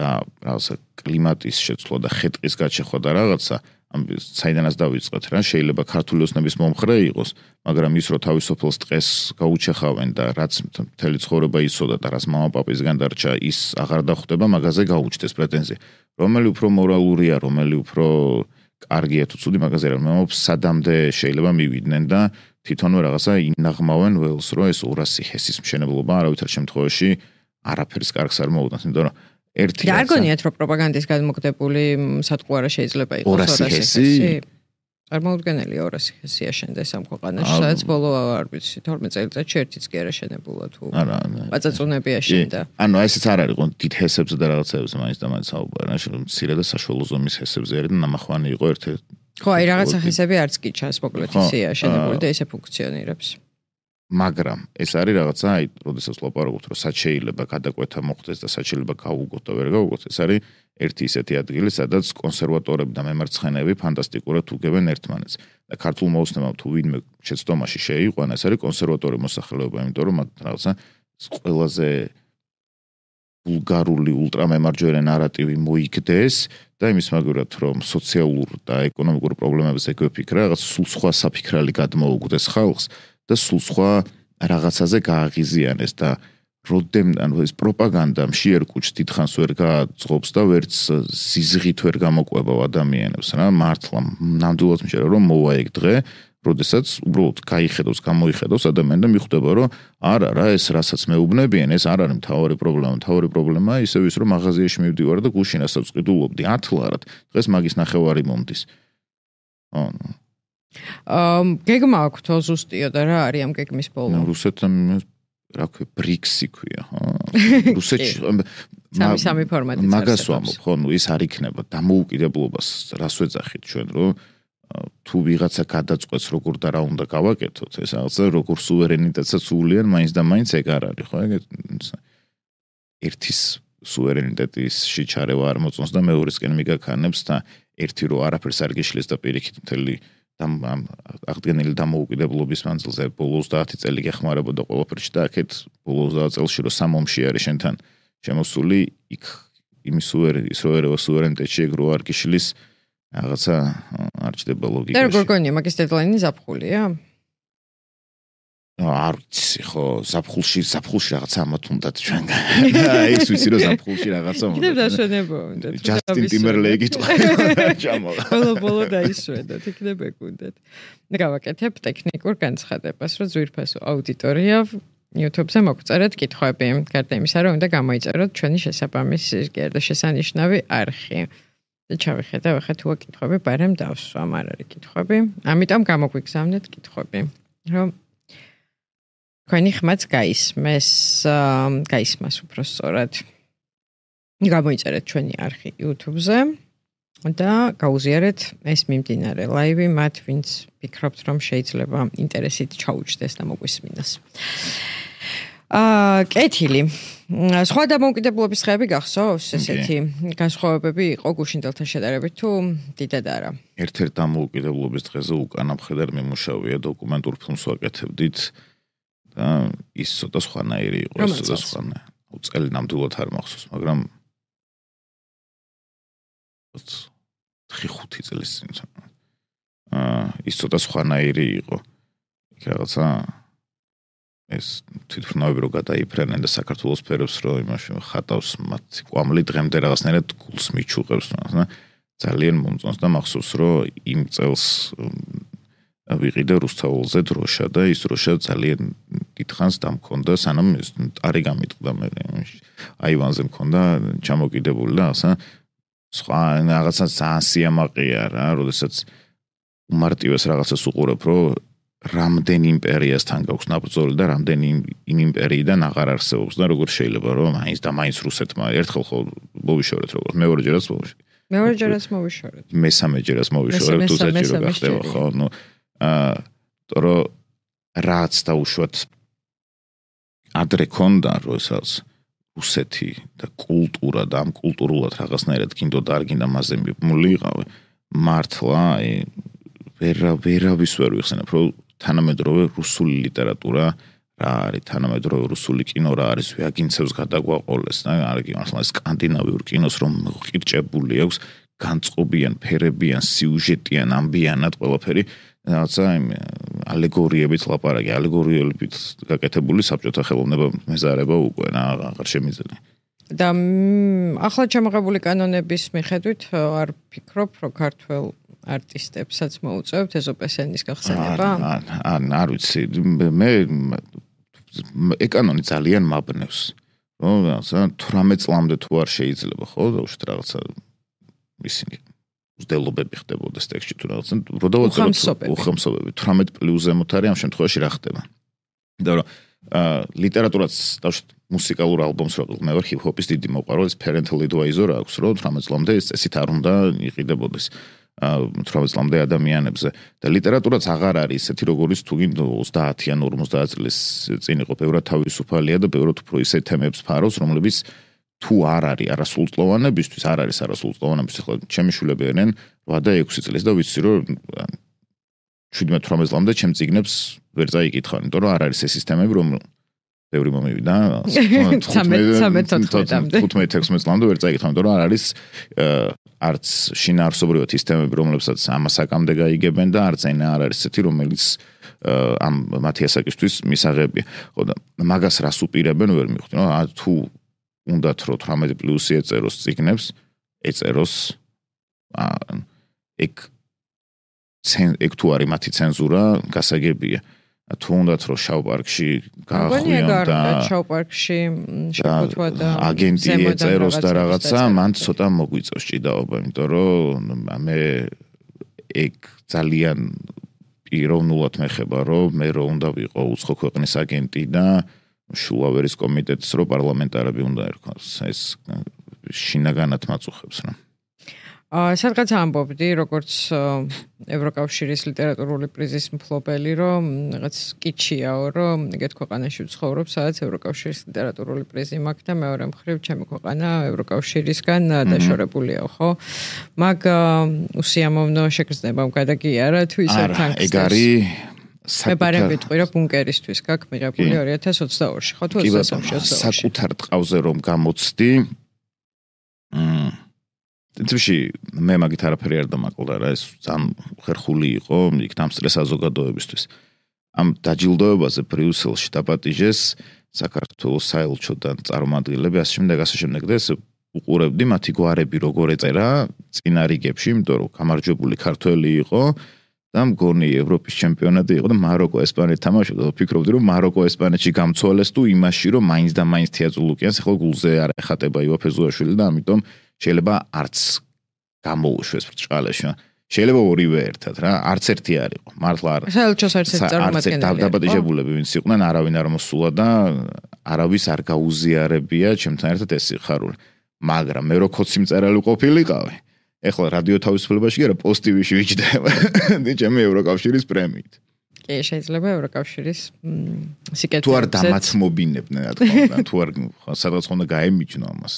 და რაღაცა კლიმატის შეცვლა და ხეტყის გაჩეხვა და რაღაცა ამ საიდანაც დავიწყეთ რა, შეიძლება ქართული ოცნების მომხრე იყოს, მაგრამ ის რო თავისუფლს დღეს გაუჩეხავენ და რაც მთელი ცხოვრება იცოდა და რაც მამაპაპისგან დარჩა, ის აღარ დახვდება, მაგაზე გაუჩნდეს პრეტენზია. რომელი უფრო მორალურია, რომელი უფრო კარგია თუ ცუდი, მაგაზე რა მომობს, სადამდე შეიძლება მივიდნენ და თვითონვე რაღაცა ინაღმავენ ველს, რომ ეს ორასი ჰესის მშენებლობა არავითარ შემთხვევაში არაფერს კარგს არ მოუდანს, იმიტომ რომ ერთი რა გონიათ რომ პროპაგანდის გადმოგდებული სატყუ არა შეიძლება იყოს ორასი ჰესი? წარმოუდგენელი ორასი ჰესი აშენდეს ამ ქვეყანაში, სადაც ბოლო არ ვიცი თორმეტ წელიწადში ერთიც კი არ აშენებულა თუ პაწაწუნები აშენდა. ანუ ესეც არ არის, დიდ ჰესებზე და რაღაცებზე მაინც და მაინც საუბარი, რა მცირე და საშუალო ზომის ჰესებზე არის და ნამახვანი იყო ერთ-ერთი. ხო, აი რაღაცა ჰესები არც კი ჩანს მოკლედ ისე აშენებული და ისე ფუნქციონირებს. მაგრამ ეს არის რაღაცა, აი, როდესაც ლაპარაკობთ, რომ სად შეიძლება გადაკვეთა მოხდეს და სად შეიძლება გაუგოთ და ვერ გაუგოთ, ეს არის ერთი ისეთი ადგილი, სადაც კონსერვატორები და მემარცხენეები ფანტასტიკურად უგებენ ერთმანეთს. და ქართულ მოუსმენამ თუ ვინმე შეცდომაში შეიყვანა, ეს არის კონსერვატორი მოსახლეობა, იმიტომ რომ მათ რაღაცა ყველაზე ვულგარული ულტრამემარჯვენე ნარატივი მოიგდეს და იმის მაგალითად, რომ სოციალურ და ეკონომიკურ პრობლემებზე გვეფიქრა, რაღაც სულ სხვა საფიქრალი გადმოუგდეს ხალხს. და სულ სხვა რაღაცაზე გააღიზიანეს და როდემ ანუ ეს პროპაგანდა მშიერ კუჩს დიდხანს ვერ გააძღობს და ვერც სიზღით ვერ გამოყვება ადამიანებს რა მართლა ნამდვილად მშერა რომ მოვა ეგ დღე როდესაც უბრალოდ გაიხედავს გამოიხედავს ადამიანი და მიხვდება რომ არა რა ეს რასაც მეუბნებიან ეს არ არის მთავარი პრობლემა მთავარი პრობლემაა ისევ ის რომ მაღაზიაში მივდივარ და გუშინ რასაც ვყიდულობდი ათლარად დღეს მაგის ნახევარი მომდის ანუ აა გეგმა აქვს თო ზუსტიო და რა არის ამ გეგმის ბოლო? რუსეთთან რა ქვია ბრიქსი ქვია, ხო? რუსეთში სამი სამი ფორმატიც არის. მაგას ვამბობ, ხო, ნუ ის არ იქნება დამოუკიდებლობას რას ვეძახით ჩვენ, რომ თუ ვიღაცა გადაწყვეტს როგორ და რა უნდა გავაკეთოთ, ეს რაღაცა როგორ სუვერენიტეტსაც უვლიან, მაინც და მაინც ეგ არ არის, ხო? ერთის სუვერენიტეტისში ჩარევა არ მოწონს და მეორესკენ მიგაქანებს და ერთი რო არაფერს არ გიშლის და პირიქით მთელი ამ აღდგენილი დამოუკიდებლობის მანძილზე ბოლო ოცდაათი წელი გეხმარებოდა ყველაფერში და აქეთ ბოლო ოცდაათ წელში რო სამ ომში არის შენთან შემოსული, იქ იმის სუვერენიტეტი, ის რო ერევა სუვერენიტეტში ეგ რო არ გიშლის რაღაცა არ ჩდება ლოგიკაში. და როგორ გონია მაგის დედლაინი ზაფხულია? არ ვიცი, ხო, ზაფხულში, ზაფხულში რაღაცა ამათ უნდათ ჩვენგან. ის ვიცი რომ ზაფხულში რაღაცა უნდა. კიდევ დაშვენება უნდა. ჯასტინ ტიმბერლეიკი თქვა. ჩამოვა. ბოლო-ბოლო დაიშვენოთ, იქნებ ეგუნდათ. გავაკეთებ ტექნიკურ განცხადებას, რომ ძვირფასო აუდიტორია YouTube-ზე მოგწერეთ კითხვები. გარდა იმისა, რომ უნდა გამოიწეროთ ჩვენი შესაბამისი გარდა შესანიშნავი არხი. და ჩავიხედავ ახლა თუ კითხვები ბარემ დავსვამ, არ არის კითხვები. ამიტომ გამოგვიგზავნეთ კითხვები, რომ თქვენი ხმაც გაისმეს, გაისმას უფრო სწორად. გამოიწერეთ ჩვენი არხი YouTube-ზე და გაუზიარეთ ეს მიმდინარე ლაივი მათ, ვინც ფიქრობთ, რომ შეიძლება ინტერესით ჩაუჯდეს და მოგვისმინოს. აა, კეთილი. სხვა დამოუკიდებლობის დღეები გახსოვს, ესეთი განსხვავებები იყო გუშინდელთან შედარებით თუ დიდად არა? ერთ-ერთ დამოუკიდებლობის დღეზე უკანა მხედარ მიმუშავია დოკუმენტურ ფილმს ვაკეთებდით და ის ცოტა სხვანაირი იყო, ცოტა სხვანაირი. წელი ნამდვილად არ მახსოვს, მაგრამ ხუთი წლის წინ. აა, ის ცოტა სხვანაირი იყო. იქ რაღაცა ეს თვითმფრინავები რო გადაიფრენენ და საქართველოს ფერებს რო იმაში ხატავს მათი კვამლი დღემდე რაღაცნაირად გულს მიჩუყებს და ძალიან მომწონს და მახსოვს რომ იმ წელს ვიყიდე რუსთაველზე დროშა და ის დროშა ძალიან დიდხანს დამქონდა სანამ ტარი გამიტყდა მე აივანზე მქონდა ჩამოკიდებული და ასა სხვა რაღაცა ძალიან სიამაყეა რა როდესაც უმარტივეს რაღაცას უყურებ რომ რამდენი იმპერიასთან გაქვს ნაბრძოლი და რამდენი იმ იმპერიიდან აღარ არსებობს და როგორ შეიძლება რომ მაინც და მაინც რუსეთმა ერთხელ ხო მოვიშორეთ როგორ მეორეჯერაც მოვიშორეთ მეორეჯერაც მოვიშორეთ მესამეჯერაც მოვიშორეთ თუ საჭირო გახდება ხო ნუ აა თორო რაც დაუშვათ ადრე ქონდა როსაც რუსეთი და კულტურა და ამ კულტურულად რაღაცნაირად გინდოდა არ გინდა მასზე მოლიყავი მართლა ვერა ვერავის ვერ ვიხსენებ რომ თანამედროვე რუსული ლიტერატურა რა არის თანამედროვე რუსული კინო რა არის ვეაგინცევს გადაგვაყოლეს და არის მართლა სკანდინავიურ კინოს რომ ყირჭებული აქვს განწყობიან ფერებიან სიუჟეტიან ამბიანად ყველაფერი რაღაცა იმ ალეგორიებით ლაპარაკი ალეგორიებით გაკეთებული საბჭოთა ხელოვნება მეზარება უკვე აღარ შემიძლია და ახლა ჩამოღებული კანონების მიხედვით არ ფიქრობ რომ ქართველ არტისტებსაც მოუწევთ ეზოპესენის გახსენება? ან არ ვიცი, მე ეკანონი ძალიან მაბნევს. რომ რაღაცა თვრამეტ წლამდე თუ არ შეიძლება, ხო, დაუშვათ რაღაცა ისინი უძდელობები ხდებოდეს ტექსტში თუ რაღაცა, რო დავაწყოთ უხელმსობები თვრამეტ პლუს ზემოთ არის ამ შემთხვევაში რა ხდება. და რომ ლიტერატურაც დაუშვათ მუსიკალურ ალბომს რო მე ვარ ჰიპ-ჰოპის დიდი მოყვარული, ეს parental advisor აქვს, რომ თვრამეტ წლამდე ეს წესით არ უნდა იყიდებოდეს. თვრამეტ წლამდე ადამიანებზე და ლიტერატურაც აღარ არის ესეთი როგორიც თუ გინდ ოცდაათი ან ორმოცდაათ წლის წინ იყო ბევრად თავისუფალია და ბევრად უფრო ისე თემებს ფარავს რომლებიც თუ არ არის არასრულწლოვანებისთვის არ არის არასრულწლოვანებისთვის ხო ჩემი შვილები არიან რვა და ექვსი წლის და ვიცი რომ შვიდმეტ თვრამეტ წლამდე ჩემ წიგნებს ვერ წაიკითხავენ იმიტომ რომ არ არის ეს სისტემები რომ ბევრი მომივიდა თხუთმეტ ექვსმეტ წლამდე ვერ წაიკითხავენ იმიტომ რომ არ არის არც შინაარსობრივად ის თემები, რომლებსაც ამასაკამდე გაიგებენ და არც ენა არ არის ესეთი, რომელიც ამ მათი ასაკისთვის მისაღებია. ხო და მაგას რას უპირებენ ვერ მივხვდი, რა თუ უნდათ რომ თვრამეტ პლუსი ეწეროს წიგნებს, ეწეროს ეგ ეგ თუ არის მათი ცენზურა, გასაგებია. თუ უნდათ რომ შავ პარკში გაახვიონ და შავ პარკში შეფუთვა და აგენტი ეწეროს და რაღაცა მან ცოტა მოგვიწევს ჭიდაობა იმიტომ რომ მე ეგ ძალიან პიროვნულად მეხება, რომ მე რო უნდა ვიყო უცხო ქვეყნის აგენტი და შულავერის კომიტეტის რო პარლამენტარები უნდა ერქვას. ეს შინაგანად მაწუხებს რა. აა სადღაც ამბობდი, როგორც ევროკავშირის ლიტერატურული პრიზის მფლობელი, რომ რაღაც კიჩიაო, რომ ეგეთ ქვეყანაში ვცხოვრობ, სადაც ევროკავშირის ლიტერატურული პრიზი მაქვს და მეორე მხრივ ჩემი ქვეყანა ევროკავშირისგან დაშორებულია, ხო? მაგ უსიამოვნო შეგრძნებამ გადაგიარა თუ ისე თან. ეგ არის მე ბარემ ვიტყვი, რომ ბუნკერისთვის გაქვს მიღებული ორი ათას ოცდაორში, ხო თუ ოცდასამში ოცდაორში. საკუთარ ტყავზე რომ გამოცდი მ თუმცა მე მაგით არაფერი არ დამაკლდა რა ეს ძალიან ხერხული იყო იქ დამსწრე საზოგადოებისთვის. ამ დაჯილდოებაზე ბრიუსელში დაპატიჟეს საქართველოს საელჩოდან წარმომადგენლები ასე შემდეგ ასე შემდეგ და ეს უყურებდი მათი გვარები როგორ ეწერა წინა რიგებში, იმიტომ რომ გამარჯვებული ქართველი იყო და მგონი ევროპის ჩემპიონატი იყო და მაროკო ესპანეთი თამაშობდა და ვფიქრობდი რომ მაროკო ესპანეთში გამცვალეს თუ იმაში რომ მაინც და მაინც თეატროლუკიანს ახლა გულზე არ ეხატება ივა ფეზუაშვილი და ამიტომ შეიძლება არც გამოუშვეს ბრჭყალეში. შეიძლება ორივე ერთად რა, არც ერთი არ იყო. მართლა არ. საელჩოს არც ერთი წარმომადგენელი. დაბადებულები ვინც იყვნენ, არავინ არ მოსულა და არავის არ გაუზიარებია ჩემთან ერთად ეს სიხარული. მაგრამ მე რო ქოცი მწერალი ყოფილიყავი. ეხლა რადიო თავისუფლებაში კი არა, პოსტივიში ვიჯდება. და ჩემი ევროკავშირის პრემიით. კი, შეიძლება ევროკავშირის სიკეთე. თუ არ დამაცმობინებდნენ რა თქმა უნდა, თუ არ სადღაც ხონდა გაემიჯნო ამას.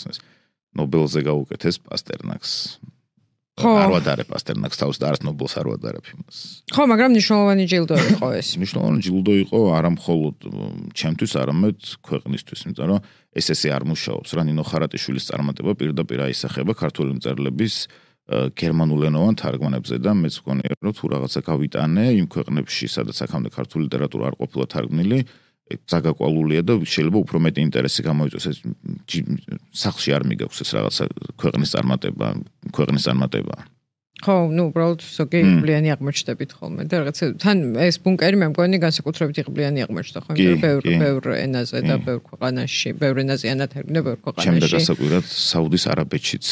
ნობელზე გაუკეთეს პასტერნაკს. ხო, არ ვადარე პასტერნაკს თავს და არც ნობელს არ ვადარებ იმას. ხო, მაგრამ მნიშვნელოვანი ჯილდო იყო ეს. მნიშვნელოვანი ჯილდო იყო არა მხოლოდ ჩემთვის, არამედ ქვეყნისთვის, იმიტომ რომ ეს ესე არ მუშაობს რა. ნინო ხარატიშვილის წარმატება პირდაპირ აისახება ქართული მწერლების გერმანულენოვან თარგმანებზე და მეც მგონია რომ თუ რაღაცა გავიტანე იმ ქვეყნებში, სადაც აქამდე ქართული ლიტერატურა არ ყოფილა თარგმნილი, ზაგაკვალულია და შეიძლება უფრო მეტი ინტერესი გამოიწვიოს ეს სახლში არ მიგაქვს ეს რაღაცა ქვეყნის წარმატება, ქვეყნის წარმატება. ხო, ნუ უბრალოდ ზოგი იღბლიანი აღმოჩნდებით ხოლმე და რაღაცა თან ეს ბუნკერი მე მგონი განსაკუთრებით იღბლიანი აღმოჩნდა ხო, იმიტომ რომ ბევრ ბევრ ენაზე და ბევრ ქვეყანაში, ბევრ ენაზე ანათებდა ბევრ ქვეყანაში. შემდეგ გასაკვირად საუდის არაბეთშიც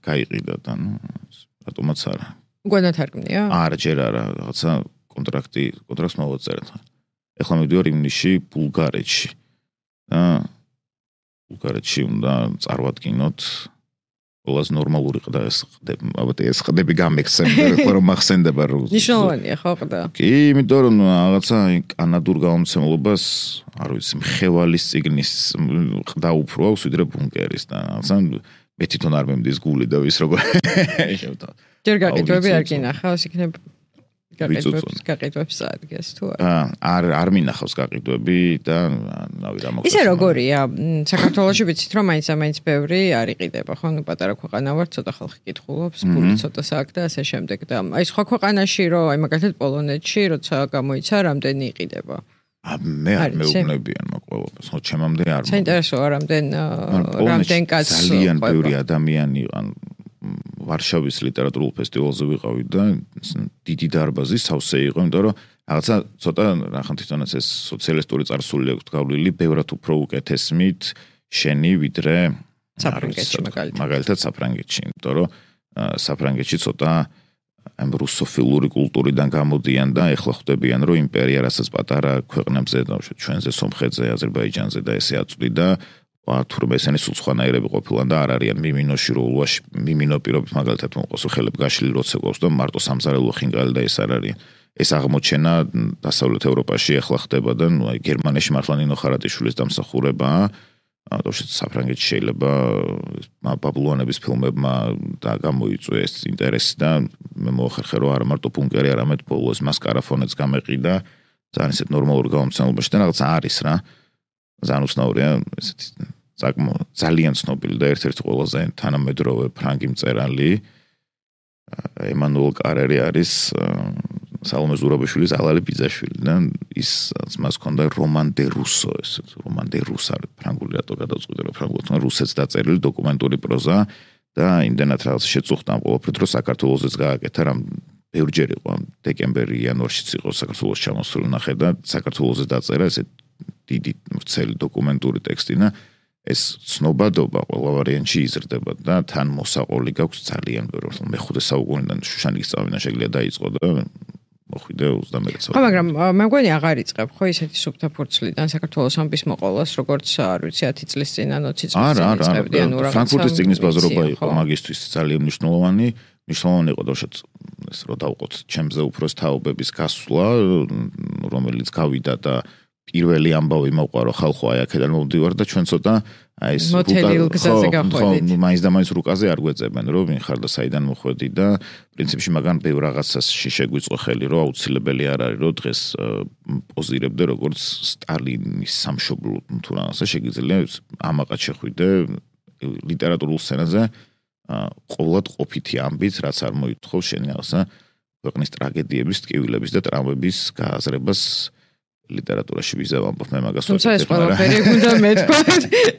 გაიყიდა და ნუ რატომაც არა. უკვე ნათარგმნია? არა, ჯერ არა, რაღაცა კონტრაქტი, კონტრაქტს მოვაწერეთ. ეხლა მივდივარ ივნისში ბულგარეთში და ბულგარეთში უნდა წარვადგინოთ ყველას ნორმალური ყდა ეს ხდები, ალბათ ეს ხდები გამექცემდა, ხო რომ მახსენდება რომ ნიშნავენია ხო ყდა. კი, იმიტომ რომ რაღაცა კანადურ გამომცემლობას, არ ვიცი, მხევალის ციგნის ყდა უფრო აქვს ვიდრე ბუნკერის და რაღაცა მე თვითონ არ მემდის გული და ვის როგორ შევთავაზ. ჯერ გაყიდვები არ გინახავს, იქნებ გაყიდვებს გაყიდვებს წაადგეს თუ არა? არ არ მინახავს გაყიდვები და ნავი რა მოგწესა. ისე როგორია? საქართველოში ვიცით რომ მაინც ამაინც ბევრი არ იყიდება, ხო? ნუ პატარა ქვეყანა ვარ, ცოტა ხალხი კითხულობს, ფული ცოტა საქმე და ასე შემდეგ და აი სხვა ქვეყანაში რომ აი მაგალითად პოლონეთში როცა გამოიცა, რამდენი იყიდება? მე არ მეუბნებიან მაგ ყველაფერს, ხო, ჩემამდე არ. საინტერესოა რამდენ რამდენ კაცს ძალიან ბევრი ადამიანი ან ვარშავის ლიტერატურულ ფესტივალზე ვიყავი და დიდი დარბაზი სავსე იყო, იმიტომ რომ რაღაცა ცოტა რახან თვითონაც ეს სოციალისტური წარსული აქვს გავლილი, ბევრად უფრო უკეთესმით შენი ვიდრე საფრანგეთში მაგალითად. მაგალითად საფრანგეთში, იმიტომ რომ საფრანგეთში ცოტა ამ რუსოფილური კულტურიდან გამოდიან და ეხლა ხვდებიან, რომ იმპერია რასაც პატარა ქვეყნებზე და ჩვენზე სომხეთზე, აზერბაიჯანზე და ესე აწვდიდა თურმე ესენი სულ სხვანაირები ყოფილან და არ არიან მიმინოში როლვაში მიმინო პირობით მაგალითად მოყოს ხელებ გაშლილი როცა გვაქვს და მარტო სამზარელო ხინგალი და ეს არ არის ეს აღმოჩენა დასავლეთ ევროპაში ახლა ხდება და ნუ აი გერმანიაში მართლა ნინო ხარატიშვილის დამსახურებაა თავშეთ საფრანგეთში შეიძლება ბაბლუანების ფილმებმა და გამოიწვიეს ინტერესი და მე მოახერხე რომ არა მარტო ბუნკერი არამედ ბოლოს მასკარაფონეც გამეყიდა ძალიან ისეთ ნორმალურ გამომცემლებაში და რაღაც არის რა ძალიან უცნაურია ესეთი ძალიან ცნობილი და ერთ-ერთი ყველაზე თანამედროვე ფრანგი მწერალი ემანუელ კარერი არის სალომე ზურაბიშვილის ალალი ბიძაშვილი და ის მას ჰქონდა რომან დე რუსო ესეთ რომან დე რუს არის ფრანგული რატო გადავწყვიტე რომ ფრანგულად რუსეთს დაწერილი დოკუმენტური პროზა და იმდენად რაღაც შეწუხდა ამ ყოველფრით რომ საქართველოსიც გააკეთა რამ ბევრჯერ იყო დეკემბერი იანვარშიც იყო საქართველოს ჩამოსული ნახე და საქართველოსზე დაწერა ესეთ დიდი ვრცელი დოკუმენტური ტექსტი და ეს ცნობადობა ყველა ვარიანტში იზრდება და თან მოსაყოლი გაქვს ძალიან ბევრი. მეხუთე საუკუნიდან შუშანიკის წავინა შეიძლება დაიწყო და მოხვიდე ოცდამეტ საათი. ხო, მაგრამ მე მგონი აღარ იწყებ, ხო, ისეთი სუფთა ფურცლიდან საქართველოს ამბის მოყოლას, როგორც არ ვიცი, ათი წლის წინ ან ოცი წლის წინ იწყებდი, ანუ რაღაცა. ფრანკფურტის წიგნის ბაზრობა იყო მაგისტრის ძალიან მნიშვნელოვანი, მნიშვნელოვანი იყო დაშოთ ეს რო დავყოთ ჩემზე უფროს თაობების გასვლა, რომელიც გავიდა და პირველი ამბავი მოყვა რომ ხალხო აი აქედან მოვდივარ და ჩვენ ცოტა აი ეს რუკაზე გახვედით. ხო, მაინც და მაინც რუკაზე არ გვეწებენ რომ ვინ ხარ და საიდან მოხვედი და პრინციპში მაგან ბევრ რაღაცაში შეგვიწყო ხელი რომ აუცილებელი არ არის რომ დღეს პოზირებდე როგორც სტალინის სამშობლო თუ რაღაცა შეგიძლია ამაყად შეხვიდე ლიტერატურულ სცენაზე ყოველად ყოფითი ამბით რაც არ მოითხოვს შენი რაღაცა ქვეყნის ტრაგედიების, ტკივილების და ტრამვების გააზრებას ლიტერატურაში ვიზა ვამბობ მე მაგას თუმცა ეს ყველაფერი უნდა მეთქვა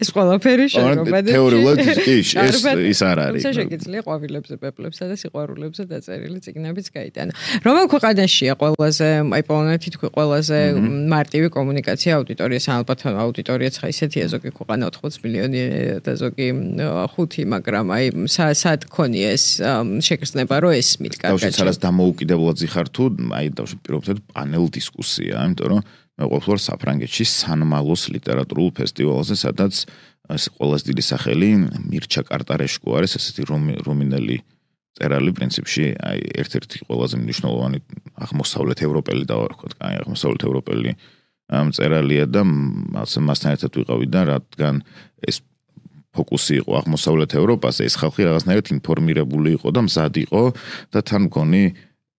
ეს ყველაფერი შეგობა და თეორიულად ის ის არ არის თუმცა შეგიძლია ყვავილებზე პეპლებსა და სიყვარულებზე დაწერილი წიგნებიც გაიტანა რომელ ქვეყანაშია ყველაზე აი პოლონეთი თქვი ყველაზე მარტივი კომუნიკაცია აუდიტორიას ალბათ აუდიტორიაც ხა ისეთია ზოგი ქვეყანა ოთხმოცდაოთხ მილიონი და ზოგი ხუთი მაგრამ აი სად ქონია ეს შეგრძნება რომ ესმით კარგად დავშე სადაც დამოუკიდებლად ზიხარ თუ აი დავშე პირობითად პანელ დისკუსია იმიტომ რომ მე ყოფილვარ საფრანგეთში სან-მალოს ლიტერატურულ ფესტივალზე, სადაც ეს ყველაზე დიდი სახელი მირჩა კარტარეშკო არის, ესეთი რუმინელი წერალი პრინციპში, აი ერთ-ერთი ყველაზე მნიშვნელოვანი აღმოსავლეთ ევროპელი დავარქვათ, აი აღმოსავლეთ ევროპელი წერალია და მასთან ერთად ვიყავი და რადგან ეს ფოკუსი იყო აღმოსავლეთ ევროპაზე, ეს ხალხი რაღაცნაირად ინფორმირებული იყო და მზად იყო და თან მგონი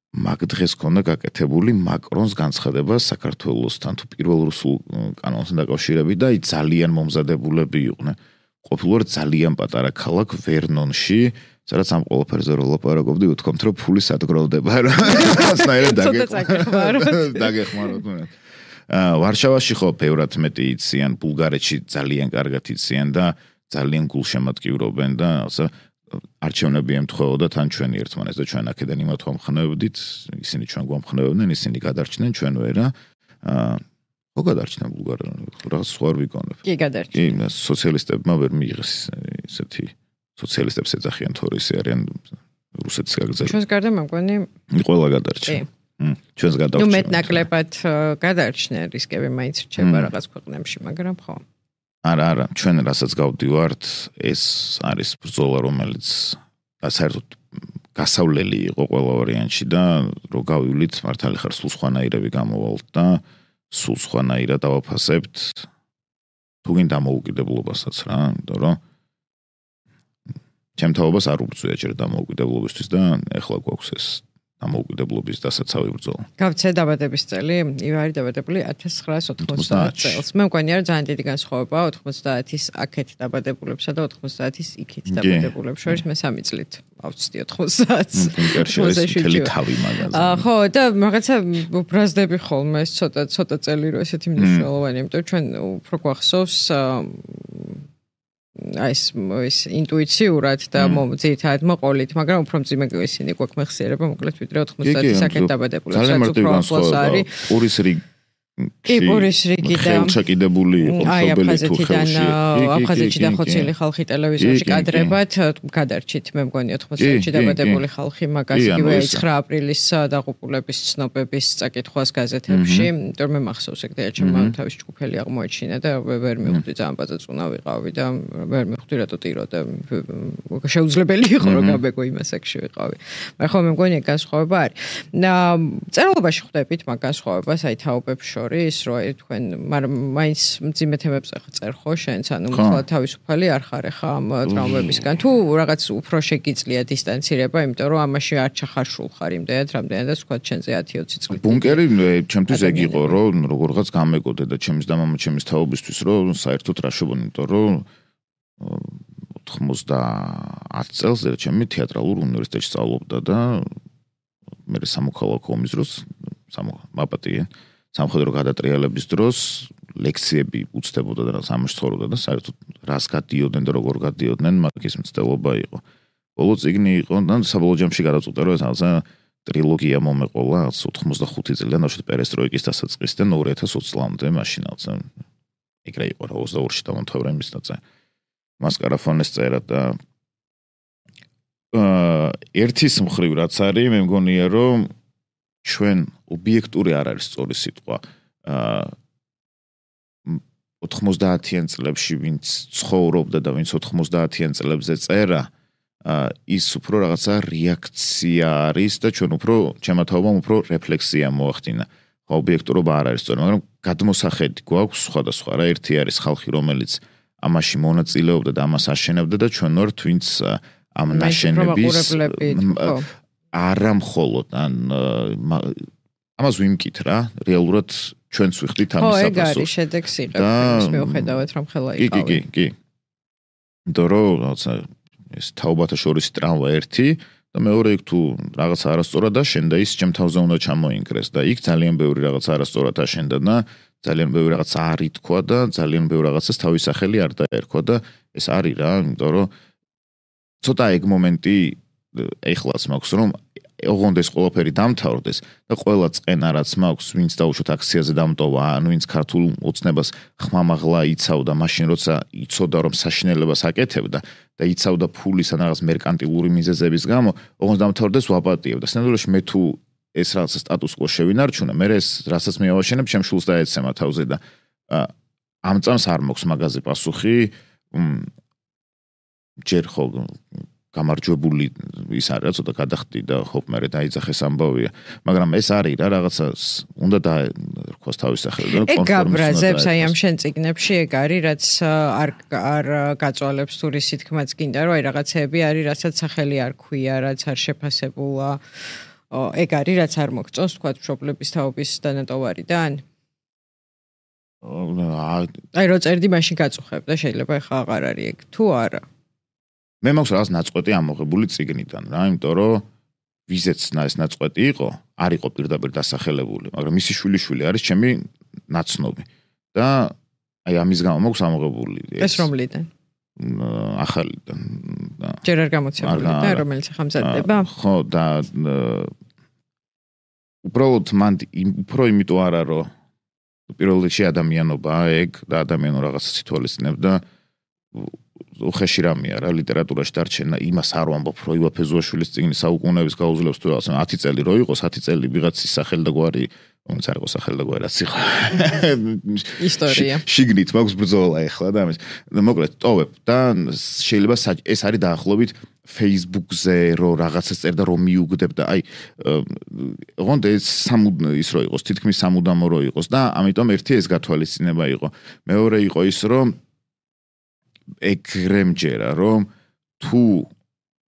მაგ დღეს ქონდა გაკეთებული მაკრონს განცხადება საქართველოსთან თუ პირველ რუსულ კანონთან დაკავშირებით და აი ძალიან მომზადებულები იყვნენ. ყოფილვარ ძალიან პატარა ქალაქ ვერნონში, სადაც ამ ყველაფერზე რო ლაპარაკობდი, უთქვამთ რომ ფული სადგროვდება რა. ასნაირად დაგეხმაროთ. დაგეხმაროთ. აა ვარშავაში ხო ბევრად მეტი იციან, ბულგარეთში ძალიან კარგად იციან და ძალიან გულშემატკივრობენ და ასე არჩევნები ემთხვეოდა თან ჩვენი ერთმანეთს და ჩვენ აქედან იმათ ვამხნევდით, ისინი ჩვენ გვამხნევდნენ, ისინი გადარჩნენ, ჩვენ ვერა. აა ხო გადარჩნენ ბულგარია, რა სხვა ვიგონებ. კი გადარჩნენ. კი, სოციალისტებმა ვერ მიიღეს ესეთი სოციალისტებს ეძახიან თორე ისე არიან რუსეთის გაგზავნა. ჩვენს გარდა მე მგონი ყველა გადარჩნენ. კი. ჩვენს გადარჩნენ. ნუ მეტნაკლებად გადარჩნენ, რისკები მაინც რჩება რაღაც ქვეყნებში, მაგრამ ხო. არა, არა, ჩვენ რასაც გავდივართ, ეს არის ბრძოლა, რომელიც საერთოდ გასავლელი იყო ყველა ვარიანტში და რო გავივლით, მართალი ხარ სულ სხვანაირები გამოვალთ და სულ სხვანაირად დავაფასებთ თუ გინდა დამოუკიდებლობასაც რა, იმიტომ რომ ჩემ თაობას არ უბრძვია ჯერ დამოუკიდებლობისთვის და ეხლა გვაქვს ეს დამოუკიდებლობის დასაცავი ბრძოლა. გავცე დაბადების წელი, ივარი დაბადებული ათას ცხრაას ოთხმოცდაათი წელს. მე მგონია რომ ძალიან დიდი განსხვავებაა ოთხმოცდაათის აქეთ დაბადებულებსა და ოთხმოცდაათის იქით დაბადებულებს შორის მე სამი წლით ავწვდი ოთხმოცდაათს. მთელი თავი მაგაზე. ხო, და რაღაცა უბრაზდები ხოლმე ეს ცოტა ცოტა წელი რო ესეთი მნიშვნელოვანი, იმიტომ ჩვენ უფრო გვახსოვს აი ეს ინტუიციურად და ძირითადად მოყოლით, მაგრამ უფრო მძიმე ისინი გვაქვს მეხსიერება, მოკლედ ვიდრე ოთხმოცდაათის აქეთ დაბადებულებს, რაც უფრო ახლოს არის. პურის რიგი კი, პურის რიგი და ხელჩაკიდებული იყო მშობელი თუ ხელში. აფხაზეთიდან ხოცილი ხალხი ტელევიზორში კადრებად გადარჩით, მე მგონი ოთხმოცდაათში დაბადებული ხალხი მაგას იგივე ცხრა აპრილის დაღუპულების ცნობების წაკითხვას გაზეთებში, იმიტომ მე მახსოვს ეგ და ჩემმა თავის ჯგუფელი აღმოაჩინა და ვერ მივხვდი ძალიან პაწაწუნა ვიყავი და ვერ მივხვდი რატო ტირო და შეუძლებელი იყო რომ გაბეგო იმას აქში ვიყავი. მაგრამ ხო მე მგონი ეგ განსხვავება არის. წერილობაში ხვდებით მაგ განსხვავებას აი თაობებს ის რო თქვენ მაგრამ მაინც მძიმე თემებზე ხარ ხო შენც ანუ ხოლმე თავისუფალი არ ხარ ხა ამ ტრამვებისგან თუ რაღაც უფრო შეგიძლია დისტანცირება იმიტომ რომ ამაში არ ჩახარშულ ხარ იმდენად რამდენადაც თქვა ჩვენზე ათი ოცი წლით ბუნკერი ჩემთვის ეგ იყო რომ როგორღაც გამეგოდე და ჩემის და მამა ჩემის თაობისთვის რომ საერთოდ რა შობონი იმიტომ რომ ოთხმოცდაათ წელს ჩემი თეატრალურ უნივერსიტეტში სწავლობდა და მე სამოქალაქო ომის დროს სამაპატიე სამხედრო გადატრიალების დროს ლექციები უცდებოდა და სამში ცხოვრობდა და საერთოდ რას გადიოდნენ და როგორ გადიოდნენ მაგის მცდელობა იყო. ბოლო წიგნი იყო და საბოლოო ჯამში გადაწყვიტე რომ ესა ტრილოგია მომეყოლა ოთხმოცდახუთი წლიდან ბავშვი პერესტროიკის დასაწყისიდან ორი ათას ოცი წლამდე მაშინაც ეგრე იყო რა ოცდაორში დამთავრდა იმის ნაწილი. მას კარაფონეს წერა და აა ერთის მხრივ რაც არის მე მგონია რომ ჩვენ ობიექტური არ არის სწორი სიტყვა. აა ოთხმოცდაათიან წლებში ვინც ცხოვრობდა და ვინც ოთხმოცდაათიან წლებზე წერა, ის უფრო რაღაცა რეაქცია არის და ჩვენ უფრო ჩემმა თაობამ უფრო რეფლექსია მოახდინა. ხო, ობიექტურობა არ არის სწორი, მაგრამ გადმოსახედი გვაქვს სხვადასხვა რა. ერთი არის ხალხი, რომელიც ამაში მონაწილეობდა და ამას აშენებდა და ჩვენ ვართ ვინც ამ ნაშენების არა მხოლოდ ან ამას ვიმკით რა, რეალურად ჩვენც ვიხდით ამის საფასურს. ხო, ეგ არის შედეგს იღებს, მიუხედავად რომ ხელა იყავი. კი, კი, კი. იმიტომ რომ რაღაცა ეს თაობათა შორის ტრამვა ერთი და მეორე იქ თუ რაღაცა არასწორად აშენდა, ის ჩემ თავზე უნდა ჩამოინგრეს და იქ ძალიან ბევრი რაღაცა არასწორად აშენდა და ძალიან ბევრი რაღაცა არ ითქვა და ძალიან ბევრი რაღაცას თავის სახელი არ დაერქვა და ეს არის რა, იმიტომ რომ ცოტა ეგ მომენტი ეხლაც მაქვს რომ ოღონდ ეს ყველაფერი დამთავრდეს და ყველა წენა რაც მაქვს, ვინც დაუშვათ აქციაზე დამტოვა, ან ვინც ქართულ ოცნებას ხმამაღლა იცავდა, მაშინ როცა იცოდა რომ საშინელებას აკეთებდა და იცავდა ფულის ან რაღაც მერკანტილური მიზეზების გამო, ოღონდ დამთავრდეს ვაპატიებდა. სინამდვილეში მე თუ ეს რაღაცა სტატუს quo შევინარჩუნე, მე ეს რასაც მივაშენებ, ჩემ შულს დაეცემა თავზე და ამ წამს არ მაქვს მაგაზე პასუხი. ჯერ ხო გამარჯვებული ის არის, ცოტა გადახდი და ჰოპ მე დაიძახეს ამბავია, მაგრამ ეს არის რა რაღაცა უნდა და რქოს თავის სახელი და კონფორმიზმს. ეგ გაბრაზებს აი ამ შენ წიგნებში ეგ არის, რაც არ არ გაწვალებს თუ რის თქმაც გინდა, რომ აი რაღაცეები არის, რასაც სახელი არ ქვია, რაც არ შეფასებულა. ეგ არის, რაც არ მოგწონს, თქვა მშობლების თაობის დანატოვარიდან? აი რო წერდი მაშინ გაწუხებ და შეიძლება ახლა აღარ არის ეგ თუ არა. მე მაქვს რაღაც ნაწყვეტი ამოღებული წიგნიდან რა, იმიტომ რომ ვიზეც ეს ნაწყვეტი იყო, არ იყო პირდაპირ დასახელებული, მაგრამ მისი შვილიშვილი არის ჩემი ნაცნობი და აი ამის გამო მაქვს ამოღებული ეს რომლიდან? ახალიდან. ჯერ არ გამოცემული და რომელიც ახლა მზადდება? ხო და უბრალოდ მან უფრო იმიტომ არა რომ პირველ რიგში ადამიანობაა ეგ და ადამიანო რაღაცას ითვალისწინებ და უხეში რამეა რა ლიტერატურაში დარჩენა იმას არ ვამბობ რომ ივა ფეზუაშვილის წიგნი საუკუნეების გაუძლებს თუ რაღაცა ათი წელი რო იყოს ათი წელი ვიღაცის სახელი და გვარი რომელიც არ იყო სახელი და გვარი რაც იყო ისტორია შიგნით მაქვს ბრძოლა ეხლა და ამის მოკლედ ტოვებ და შეიძლება ეს არის დაახლოებით Facebook-ზე რო რაღაცას წერდა რომ მიუგდებ და აი ოღონდ ეს სამუდამო ის რო იყოს თითქმის სამუდამო რო იყოს და ამიტომ ერთი ეს გათვალისწინება იყო მეორე იყო ის რომ ეგრე მჯერა რომ თუ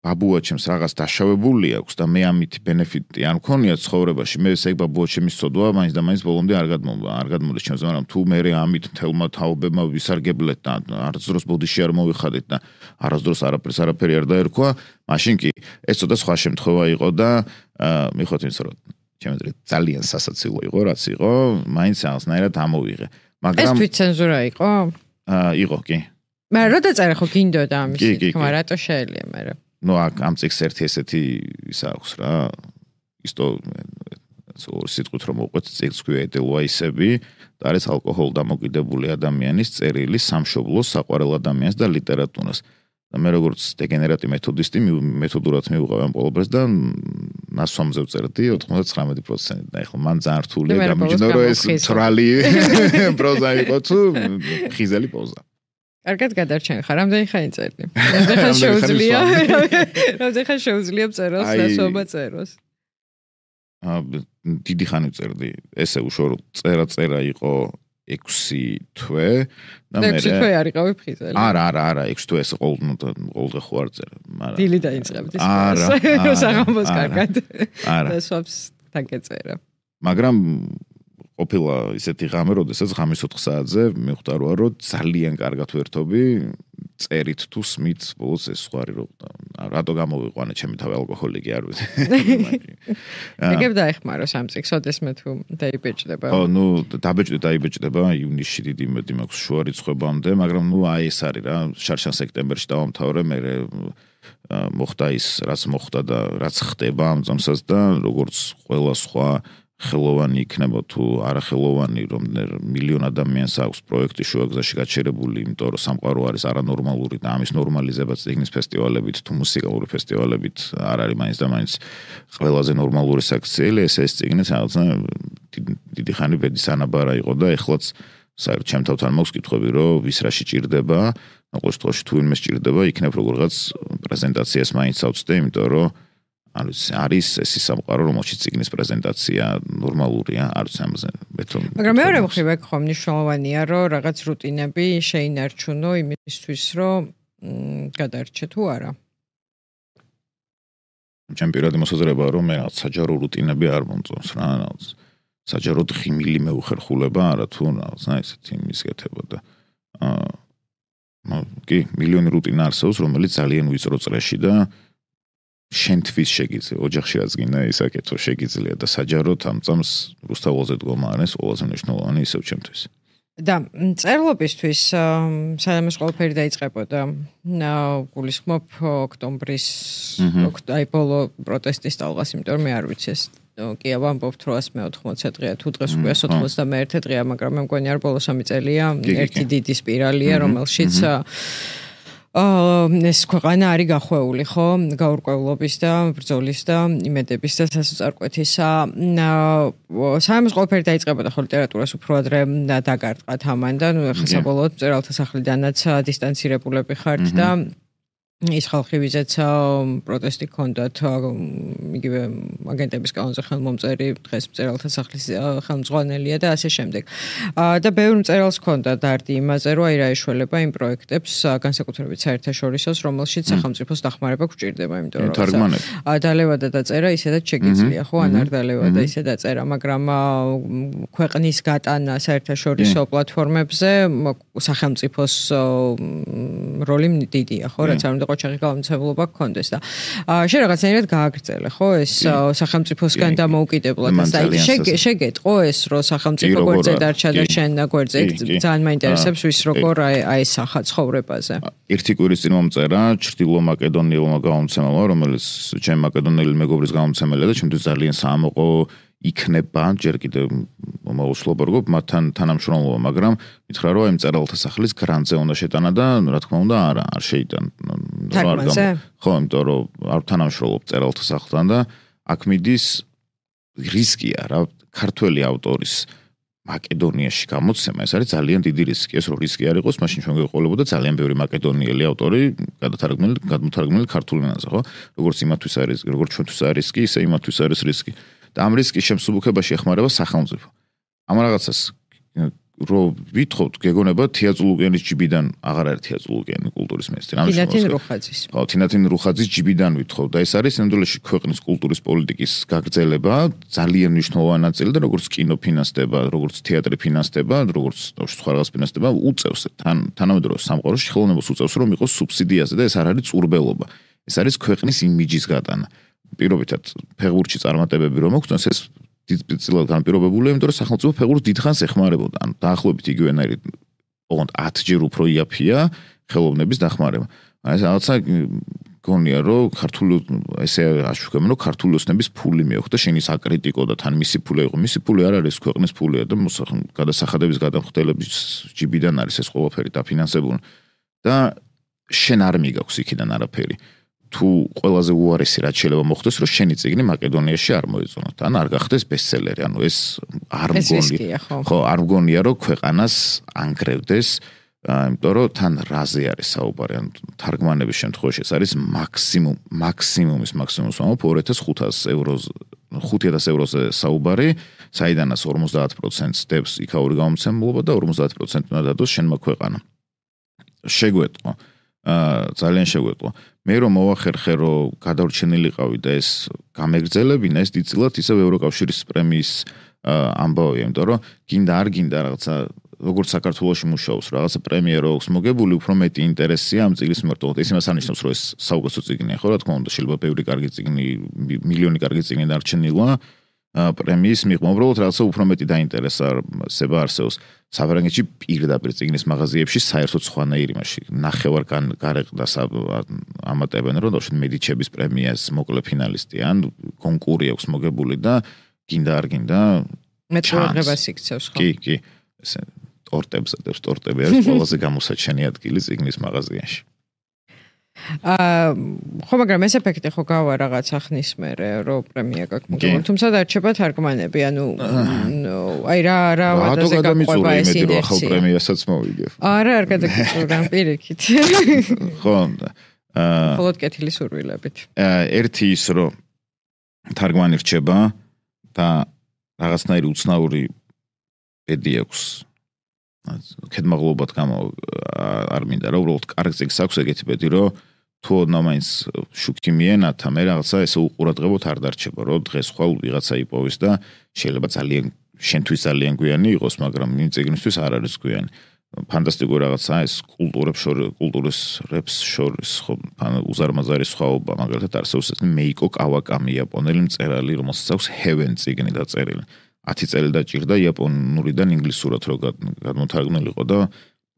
ბაბუაჩემს რაღაც დაშავებული აქვს და მე ამით ბენეფიტი არ მქონია ცხოვრებაში მე ეს ეგ ბაბუაჩემის სოდვა მაინც და მაინც ბოლომდე არ გადმოვა არ გადმოდის ჩემს მაგრამ თუ მე ამით თელმა თაობებმა ვისარგებლეთ და არასდროს ბოდიში არ მოვიხადეთ და არასდროს არაფერს არაფერი არ დაერქვა მაშინ კი ეს ცოტა სხვა შემთხვევა იყო და მიხოთ იმის რომ ჩემს ძალიან სასაცილო იყო რაც იყო მაინც რაღაცნაირად ამოვიღე მაგრამ ეს თვითცენზურა იყო აა იყო კი მაგრამ რო დაწერე ხო გინდოდა ამის თქმა რატო შეიძლება მე ნუ აქ ამ წიგს ერთი ესეთი ის აქვს რა ისто სიტყვით რომ მოყვეთ წიგს ქვია ედელვაისები და არის ალკოჰოლ დამოკიდებული ადამიანის წერილი სამშობლოს საყვარელ ადამიანს და ლიტერატურას და მე როგორც დეგენერატი მეთოდისტი მეთოდურად მივუყავ ამ ყველაფერს და ნასვამზე ვწერდი ოთხმოცდათვრამეტი პროცენტი და ეხლა მან ძალიან რთულია გამიჯნო რომ ეს თრალი პროზა იყო თუ ხიზელი პოზა კარგად გადარჩენ ხარ, რამდენი ხანი წერდი? რამდენი ხანი შეუძლია? რამდენი ხანი შეუძლია წეროს, ნასვობა წეროს? აა დიდი ხანი წერდი. ესე უშუალოდ წერა-წერა იყო ექვსი თვე და მე ექვსი თვე არ იყავი ფხიზელი. არა, არა, არა, ექვსი თვე ესე ყოველ ყოველდღე ხო არ წერე, მაგრამ დილი დაიწყებდი ის. არა, საღამოს კარგად. არა. და სვაფს დაგეწერა. მაგრამ ყოფილა ისეთი ღამე, როდესაც ღამის ოთხ საათზე მიხვდა რომ ძალიან კარგად ვერთობი, წერით თუ სმით, ბოლოს ეს სხვარი რომ რატო გამოვიყვანე ჩემი თავი ალკოჰოლიკი არ ვიცი. ეგებ დაეხმარო სამ წიგს, ოდესმე თუ დაიბეჭდება. ო, ნუ დაბეჭდი დაიბეჭდება ივნისში დიდი იმედი მაქვს შუა რიცხვებამდე, მაგრამ ნუ აი ეს არის რა, შარშან სექტემბერში დავამთავრე, მე მოხდა ის, რაც მოხდა და რაც ხდება ამ წამსაც და როგორც ყველა სხვა ხელოვანი იქნება თუ არახელოვანი, რომ მილიონ ადამიანს აქვს პროექტი შუაგზაში გაჩერებული, იმიტომ რომ სამყარო არის არანორმალური და ამის ნორმალიზებაც წიგნის ფესტივალებით თუ მუსიკალური ფესტივალებით არ არის მაინც და მაინც ყველაზე ნორმალური საქციელი, ეს ეს წიგნი რაღაცა დიდი ხანი ბედის ანაბარა იყო და ეხლაც საერთოდ ჩემ თავთან მაქვს კითხვები, რომ ვის რა შეჭირდება, ყოველ შემთხვევაში თუ ვინმე შეჭირდება, იქნებ როგორღაც პრეზენტაციას მაინც ავწდე, იმიტომ რომ არის არის ეს სამყარო, რომელშიც წიგნის პრეზენტაცია ნორმალურია, არ ვიცი ამაზე მეტრო. მაგრამ მეორე მხრივ ეგ ხომ მნიშვნელოვანია, რომ რაღაც რუტინები შეინარჩუნო იმისთვის, რომ გადარჩე თუ არა. ჩემ პირადი მოსაზრებაა, რომ მე რაღაც საჯარო რუტინები არ მომწონს რა, რაღაც საჯაროდ ხიმილი მეუხერხულება, არა თუ რაღაცა ესეთი მისკეთება და აა კი, მილიონი რუტინა არსებობს, რომელიც ძალიან ვიწრო წრეში და შენთვის შეგიძლია, ოჯახში რაც გინდა ისაკეთო შეგიძლია და საჯაროდ ამ წამს რუსთაველზე დგომა არის ყველაზე მნიშვნელოვანი ისევ ჩემთვის. და წერლობისთვის სადაც ყველაფერი დაიწყებოდა. გულისხმობ ოქტომბრის აი ბოლო პროტესტის ტალღას, იმიტომ რომ მე არ ვიცი ეს კი ავამბობთ რომ ასმე ოთხმოცი დღეა თუ დღეს უკვე ოცდამეერთე დღეა, მაგრამ მე მგონი არ ბოლო სამი წელია ერთი დიდი სპირალია, რომელშიც ეს ქვეყანა არის გახვეული, ხო, გაურკვევლობის და ბრძოლის და იმედების და სასწარკვეთისა. საერთოდ ყველაფერი დაიწყებოდა ხო ლიტერატურას უფრო ადრე დაგარტყათ ამან და ნუ ახლა საბოლოოდ მწერალთა სახლიდანაც დისტანცირებულები ხართ და ის ხალხი ვიზეც პროტესტი ჰქონდათ იგივე აგენტების კანონზე ხელმომწერი დღეს მწერალთა სახლის ხელმძღვანელია და ასე შემდეგ. და ბევრი მწერალს ჰქონდა დარდი იმაზე, რომ აი რა ეშველება იმ პროექტებს განსაკუთრებით საერთაშორისოს, რომელშიც სახელმწიფოს დახმარება გვჭირდება, იმიტომ რომ დალევადა დაწერა ისედაც შეგიძლია, ხო, ან არ დალევადა ისე დაწერა, მაგრამ ქვეყნის გატანა საერთაშორისო პლატფორმებზე სახელმწიფოს როლი დიდია, ხო, რაც არ უნდა ყოჩაღი გამომცემლობა გქონდეს და შენ რაღაცნაირად გააგრძელე, ხო, ეს სახელმწიფოსგან დამოუკიდებლად და შეგეტყო ეს, რომ სახელმწიფო გვერდზე დარჩა და შენ გვერდზე, ძალიან მაინტერესებს ვის როგორ აესახა ცხოვრებაზე. ერთი კვირის წინ მომწერა ჩრდილო მაკედონიელმა გამომცემელმა, რომელიც ჩემ მაკედონიელი მეგობრის გამომცემელია და ჩემთვის ძალიან საამოყო იქნება, ჯერ კიდევ მოუსლობა როგორ მათთან თანამშრომლობა, მაგრამ მითხრა რომ აი მწერალთა სახლის გრანტზე უნდა შეტანა და რა თქმა უნდა არა, არ შეიტან. ხო, იმიტომ რომ არ თანამშრომლობ მწერალთა სახლთან და აქ მიდის რისკია რა, ქართველი ავტორის მაკედონიაში გამოცემა, ეს არის ძალიან დიდი რისკი. ეს რო რისკი არ იყოს, მაშინ ჩვენ გვეყოლებოდა ძალიან ბევრი მაკედონიელი ავტორი გადათარგმნილი, გადმოთარგმნილი ქართულ ენაზე, ხო? როგორც იმათვის არის, როგორც ჩვენთვის არის რისკი, ისე იმათვის არის რისკი. და ამ რისკის შემსუბუქებაში ეხმარება სახელმწიფო. ამ რაღაცას რო ვითხოვთ, გეგონება თეატრულუგენის ჯიბიდან აღარ არის თეატრულუგენი კულტურის მინისტრი. თინათინ რუხაძის. ხო, თინათინ რუხაძის ჯიბიდან ვითხოვთ და ეს არის ნამდვილად ქვეყნის კულტურის პოლიტიკის გაგრძელება, ძალიან მნიშვნელოვანი ნაწილი და როგორც კინო ფინანსდება, როგორც თეატრი ფინანსდება, როგორც სხვა რაღაც ფინანსდება, უწევს თან თანამედროვე სამყაროში ხელოვნებას უწევს რომ იყოს სუბსიდიაზე და ეს არ არის წურბელობა. ეს არის ქვეყნის იმიჯის გატანა. პირობითად ფეხბურთში წარმატებები რომ მოგვწონს ეს დიდწილად განპირობებულია, იმიტომ რომ სახელმწიფო ფეხბურთს დიდხანს ეხმარებოდა. ან დაახლოებით იგივენაირად ოღონდ ათი ჯერ უფრო იაფია ხელოვნების დახმარება. ეს რაღაცა გონია რომ ქართული ესე აშუქებენ რომ ქართული ოსნების ფული მიახვდა შენი საკრიტიკო და თან მისი ფული იყო. მისი ფული არ არის ქვეყნის ფულია და გადასახადების გადამხდელების ჯიბიდან არის ეს ყველაფერი დაფინანსებული და შენ არ მიგაქვს იქიდან არაფერი. თუ ყველაზე უარესი რაც შეიძლება მოხდეს, რომ შენი წიგნი მაკედონიაში არ მოეწონოთ, ან არ გახდეს ბესტსელერი, ანუ ეს არ მგონია, ხო, არ მგონია, რომ ქვეყანას ანგრევდეს, იმიტომ რომ თან რაზე არის საუბარი, ან თარგმანების შემთხვევაში ეს არის მაქსიმუმ, მაქსიმუმის მაქსიმუმს ვამბობ ორი ათას ხუთას ევროზე, ხუთი ათას ევროზე საუბარი, საიდანაც ორმოცდაათ პროცენტს დებს იქაური გამომცემლობა და ორმოცდაათ პროცენტი უნდა დადოს შენმა ქვეყანამ. შეგვეტყო, ძალიან შეგვეტყო. მე რომ მოვახერხე რომ გადავრჩენილიყავი და ეს გამეგრძელებინა, ეს დიდწილად ისევ ევროკავშირის პრემიის ამბავია, იმიტომ რომ გინდა არ გინდა რაღაცა როგორც საქართველოში მუშაობს რაღაცა პრემია რო აქვს მოგებული, უფრო მეტი ინტერესია ამ წიგნის მიმართ. ეს იმას არნიშნავს, რომ ეს საუკეთესო წიგნია, ხო, რა თქმა უნდა, შეიძლება ბევრი კარგი წიგნი, მილიონი კარგი წიგნი დარჩენილა პრემიის მიღმა, უბრალოდ რაღაცა უფრო მეტი დაინტერესება არსებობს. საფრანგეთში პირდაპირ წიგნის მაღაზიებში საერთოდ სხვანაირი მაშინ ნახევარ გარეყდას ამატებენ, რომ დავშეთ მედიჩების პრემიას მოკლე ფინალისტი ან კონკური აქვს მოგებული და გინდა არ გინდა მეტყურებას იქცევს ხო? კი, კი. ესე ტორტებს ატებს, ტორტები არის ყველაზე გამოსაჩენი ადგილი ციგნის მაღაზიაში. აა ხო მაგრამ ეს ეფექტი ხო გავა რაღაცა ხნის მერე რო პრემია გაქვს. თუმცა დარჩება თარგმანები, ანუ აი რა რა ვადაზე გაყვება ეს ინერცია. რო ახალ პრემიასაც მოვიგებ. არა, არ გადაგიწურა პირიქით. ხო, აა მხოლოდ კეთილი სურვილებით. ერთი ის რომ თარგმანი რჩება და რაღაცნაირი უცნაური ბედი აქვს. ქედმაღლობად გამო არ მინდა რა უბრალოდ კარგ წიგნს აქვს ეგეთი ბედი რომ თუ ოდნავ მაინც შუქი მიენათა მე რაღაცა ესე უყურადღებოდ არ დარჩება რომ დღეს ხვალ ვიღაცა იპოვის და შეიძლება ძალიან შენთვის ძალიან გვიანი იყოს მაგრამ იმ წიგნისთვის არ არის გვიანი ფანტასტიკური რაღაცა ეს კულტურებს შორის კულტურის რეპს შორის ხო უზარმაზარი სხვაობა მაგალითად არსებობს ეს მეიკო კავაკამი იაპონელი მწერალი რომელსაც აქვს ჰევენ წიგნი დაწერილი ათი წელი დაჭირდა იაპონურიდან ინგლისურად რო გადმოთარგმნილიყო და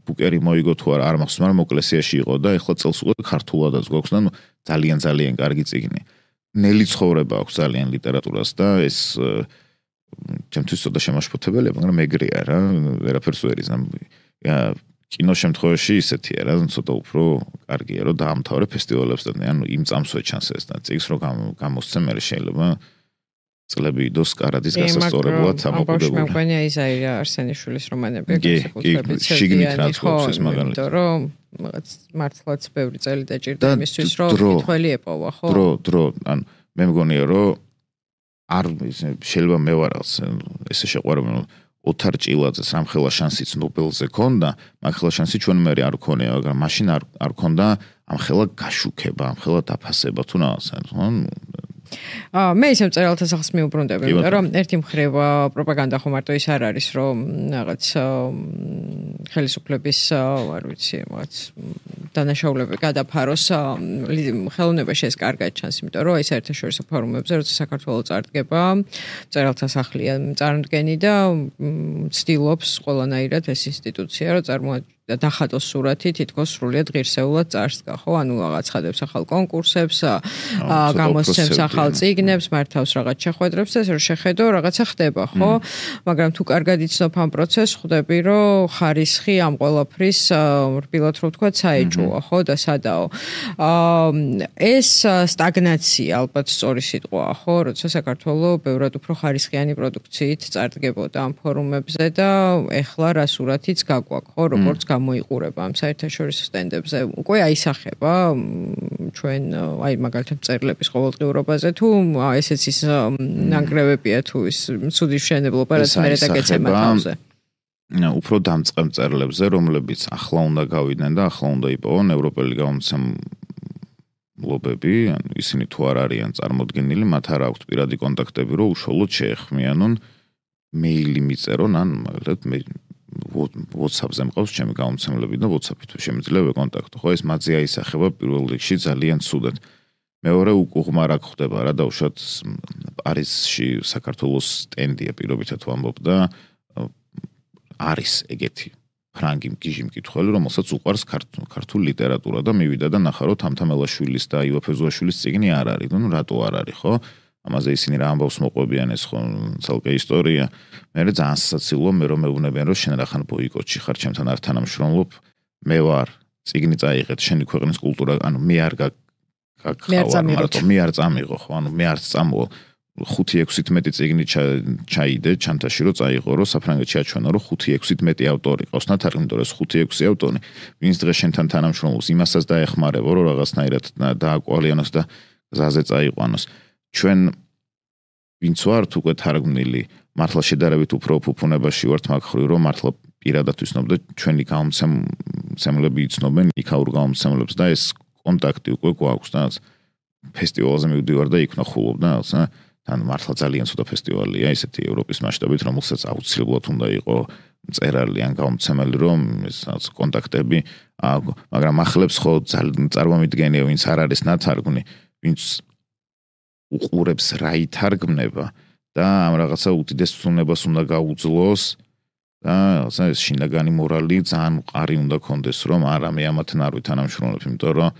ბუკერი მოიგო თუ არ მახსოვს მაგრამ მოკლესიაში იყო და ეხლა წელს უკვე ქართულადაც გვაქვს და ძალიან ძალიან კარგი წიგნი. ნელი ცხოვრება აქვს ძალიან ლიტერატურას და ეს ჩემთვის ცოტა შემაშფოთებელია მაგრამ ეგრეა რა ვერაფერს ვერ იზამ. კინო შემთხვევაში ისეთია რა ცოტა უფრო კარგია რომ დაამთავრე ფესტივალებს და ანუ იმ წამსვე ჩანს ეს და წიგნს რო გამოსცემ მე შეიძლება წლები იდოს კარადის გასასწორებლად ამოყურებული. მე მგონი აი ზაირა არსენიშვილის რომანები განსაკუთრებით შიგნით რაც გვაქვს ეს მაგალითად. იმიტომ რომ რაღაც მართლაც ბევრი წელი დაჭირდა იმისთვის რომ კითხველი ეპოვა ხო? დრო, დრო, ანუ მე მგონია რომ არ შეიძლება მე ვარ რაღაც ესე შეყვარებული ოთარ ჭილაძეს რამხელა შანსიც ნობელზე ქონდა, მაგხელა შანსი ჩვენ მე არ ქონია, მაგრამ მაშინ არ არ ქონდა ამხელა გაშუქება, ამხელა დაფასება თუ რაღაცა, ხო? აა მე ისევ წერალთა სახს მიუბრუნდები, იმიტომ რომ ერთი მხრივ პროპაგანდა ხო მარტო ის არ არის, რომ რაღაც ხელისუფლების, არ ვიცი, რაღაც დანაშაულები გადაფაროს ხელოვნებაში ეს კარგად ჩანს, იმიტომ რომ ეს საერთაშორისო ფორუმებზე, როცა საქართველოს წარდგება, წერალთა სახლია წარმოდგენი და ცდილობს ყველანაირად ეს ინსტიტუცია, რომ წარმოადგინოს და დახატოს სურათი თითქოს სრულიად ღირსეულად წარსდგა, ხო? ანუ რაღაც ხადებს ახალ კონკურსებს, გამოსცემს ახალ წიგნებს, მართავს რაღაც შეხვედრებს და ეს რომ შეხედო, რაღაცა ხდება, ხო? მაგრამ თუ კარგად იცნობ ამ პროცესს, ხვდები, რომ ხარისხი ამ ყველაფრის რბილად რო ვთქვა, საეჭვოა, ხო? და სადაო. ეს სტაგნაცია ალბათ სწორი სიტყვაა, ხო? როცა საქართველოს ბევრად უფრო ხარისხიანი პროდუქციით წარდგებოდა ამ ფორუმებზე და ეხლა რა სურათიც გაგვაქვს, ხო? როგორც მოიყურება ამ საერთაშორისო სტენდებზე უკვე აისახება ჩვენ აი მაგალითად წერილების ყოველდღიურობაზე თუ ესეც ის ნანგრევებია თუ ის ცუდი მშენებლობა რაც მე დაგეცემა თავზე უფრო დამწყებ წერილებზე რომლებიც ახლა უნდა გავიდნენ და ახლა უნდა იპოვონ ევროპელი გამომცემლობები ანუ ისინი თუ არ არიან წარმოდგენილი მათ არ აქვთ პირადი კონტაქტები რომ უშუალოდ შეეხმიანონ მეილი მიწერონ ან მაგალითად მე WhatsApp-ზე მყავს ჩემი გამომცემლები და WhatsApp-ით შემიძლია ვეკონტაქტო. ხო ეს მათზე აისახება პირველ რიგში ძალიან ცუდად. მეორე უკუღმა რა ხდება რა დაუშვათ პარიზში საქართველოს სტენდია პირობითად ვამბობ და არის ეგეთი ფრანგი მკიჟი მკითხველი რომელსაც უყვარს ქართული ლიტერატურა და მივიდა და ნახა რომ თამთამელაშვილის და ივა ფეზუაშვილის წიგნი არ არის. ნუ რატო არ არის ხო? ამაზე ისინი რა ამბავს მოყვებიან ეს ხო ცალკე ისტორია. მე ძალიან სასაცილოა მე რომ მეუბნებიან რომ შენ რახან ბოიკოტში ხარ ჩემთან არ თანამშრომლობ მე ვარ წიგნი წაიღეთ შენი ქვეყნის კულტურა ანუ მე არ გაგხავარ მარტო მე არ წამიღო ხო ანუ მე არ წამოვა ხუთი ექვსით მეტი წიგნი ჩაიდე ჩანთაში რომ წაიღო რომ საფრანგეთში აჩვენა რომ ხუთი ექვსით მეტი ავტორი ყავს ნათარგმნი იმიტომ რომ ხუთი ექვსი ავტორი ვინც დღეს შენთან თანამშრომლობს იმასაც დაეხმარებო რომ რაღაცნაირად დააკვალიანოს და გზაზე წაიყვანოს ჩვენ ვინც ვართ უკვე თარგმნილი მართლა შედარებით უფრო ფუფუნებაში ვართ მაგ ხრივ რომ მართლა პირადად ვიცნობ და ჩვენი გამომცემლები იცნობენ იქაურ გამომცემლებს და ეს კონტაქტი უკვე გვაქვს და ფესტივალზე მივდივარ და იქ ნახულობ და თან მართლა ძალიან ცუდა ფესტივალია ისეთი ევროპის მასშტაბით რომელსაც აუცილებლად უნდა იყოს მწერალი ან გამომცემელი რომ ეს კონტაქტები მაგრამ ახლებს ხო წარმომიდგენია ვინც არ არის ნათარგმნი ვინც უყურებს რა ითარგმნება და ამ რაღაცა უდიდეს ცნობას უნდა გაუძლოს და რაღაცა ეს შინაგანი მორალი ძალიან მყარი უნდა კონდეს რომ არა მე ამათთან არ ვითანამშრომლობ იმიტომ რომ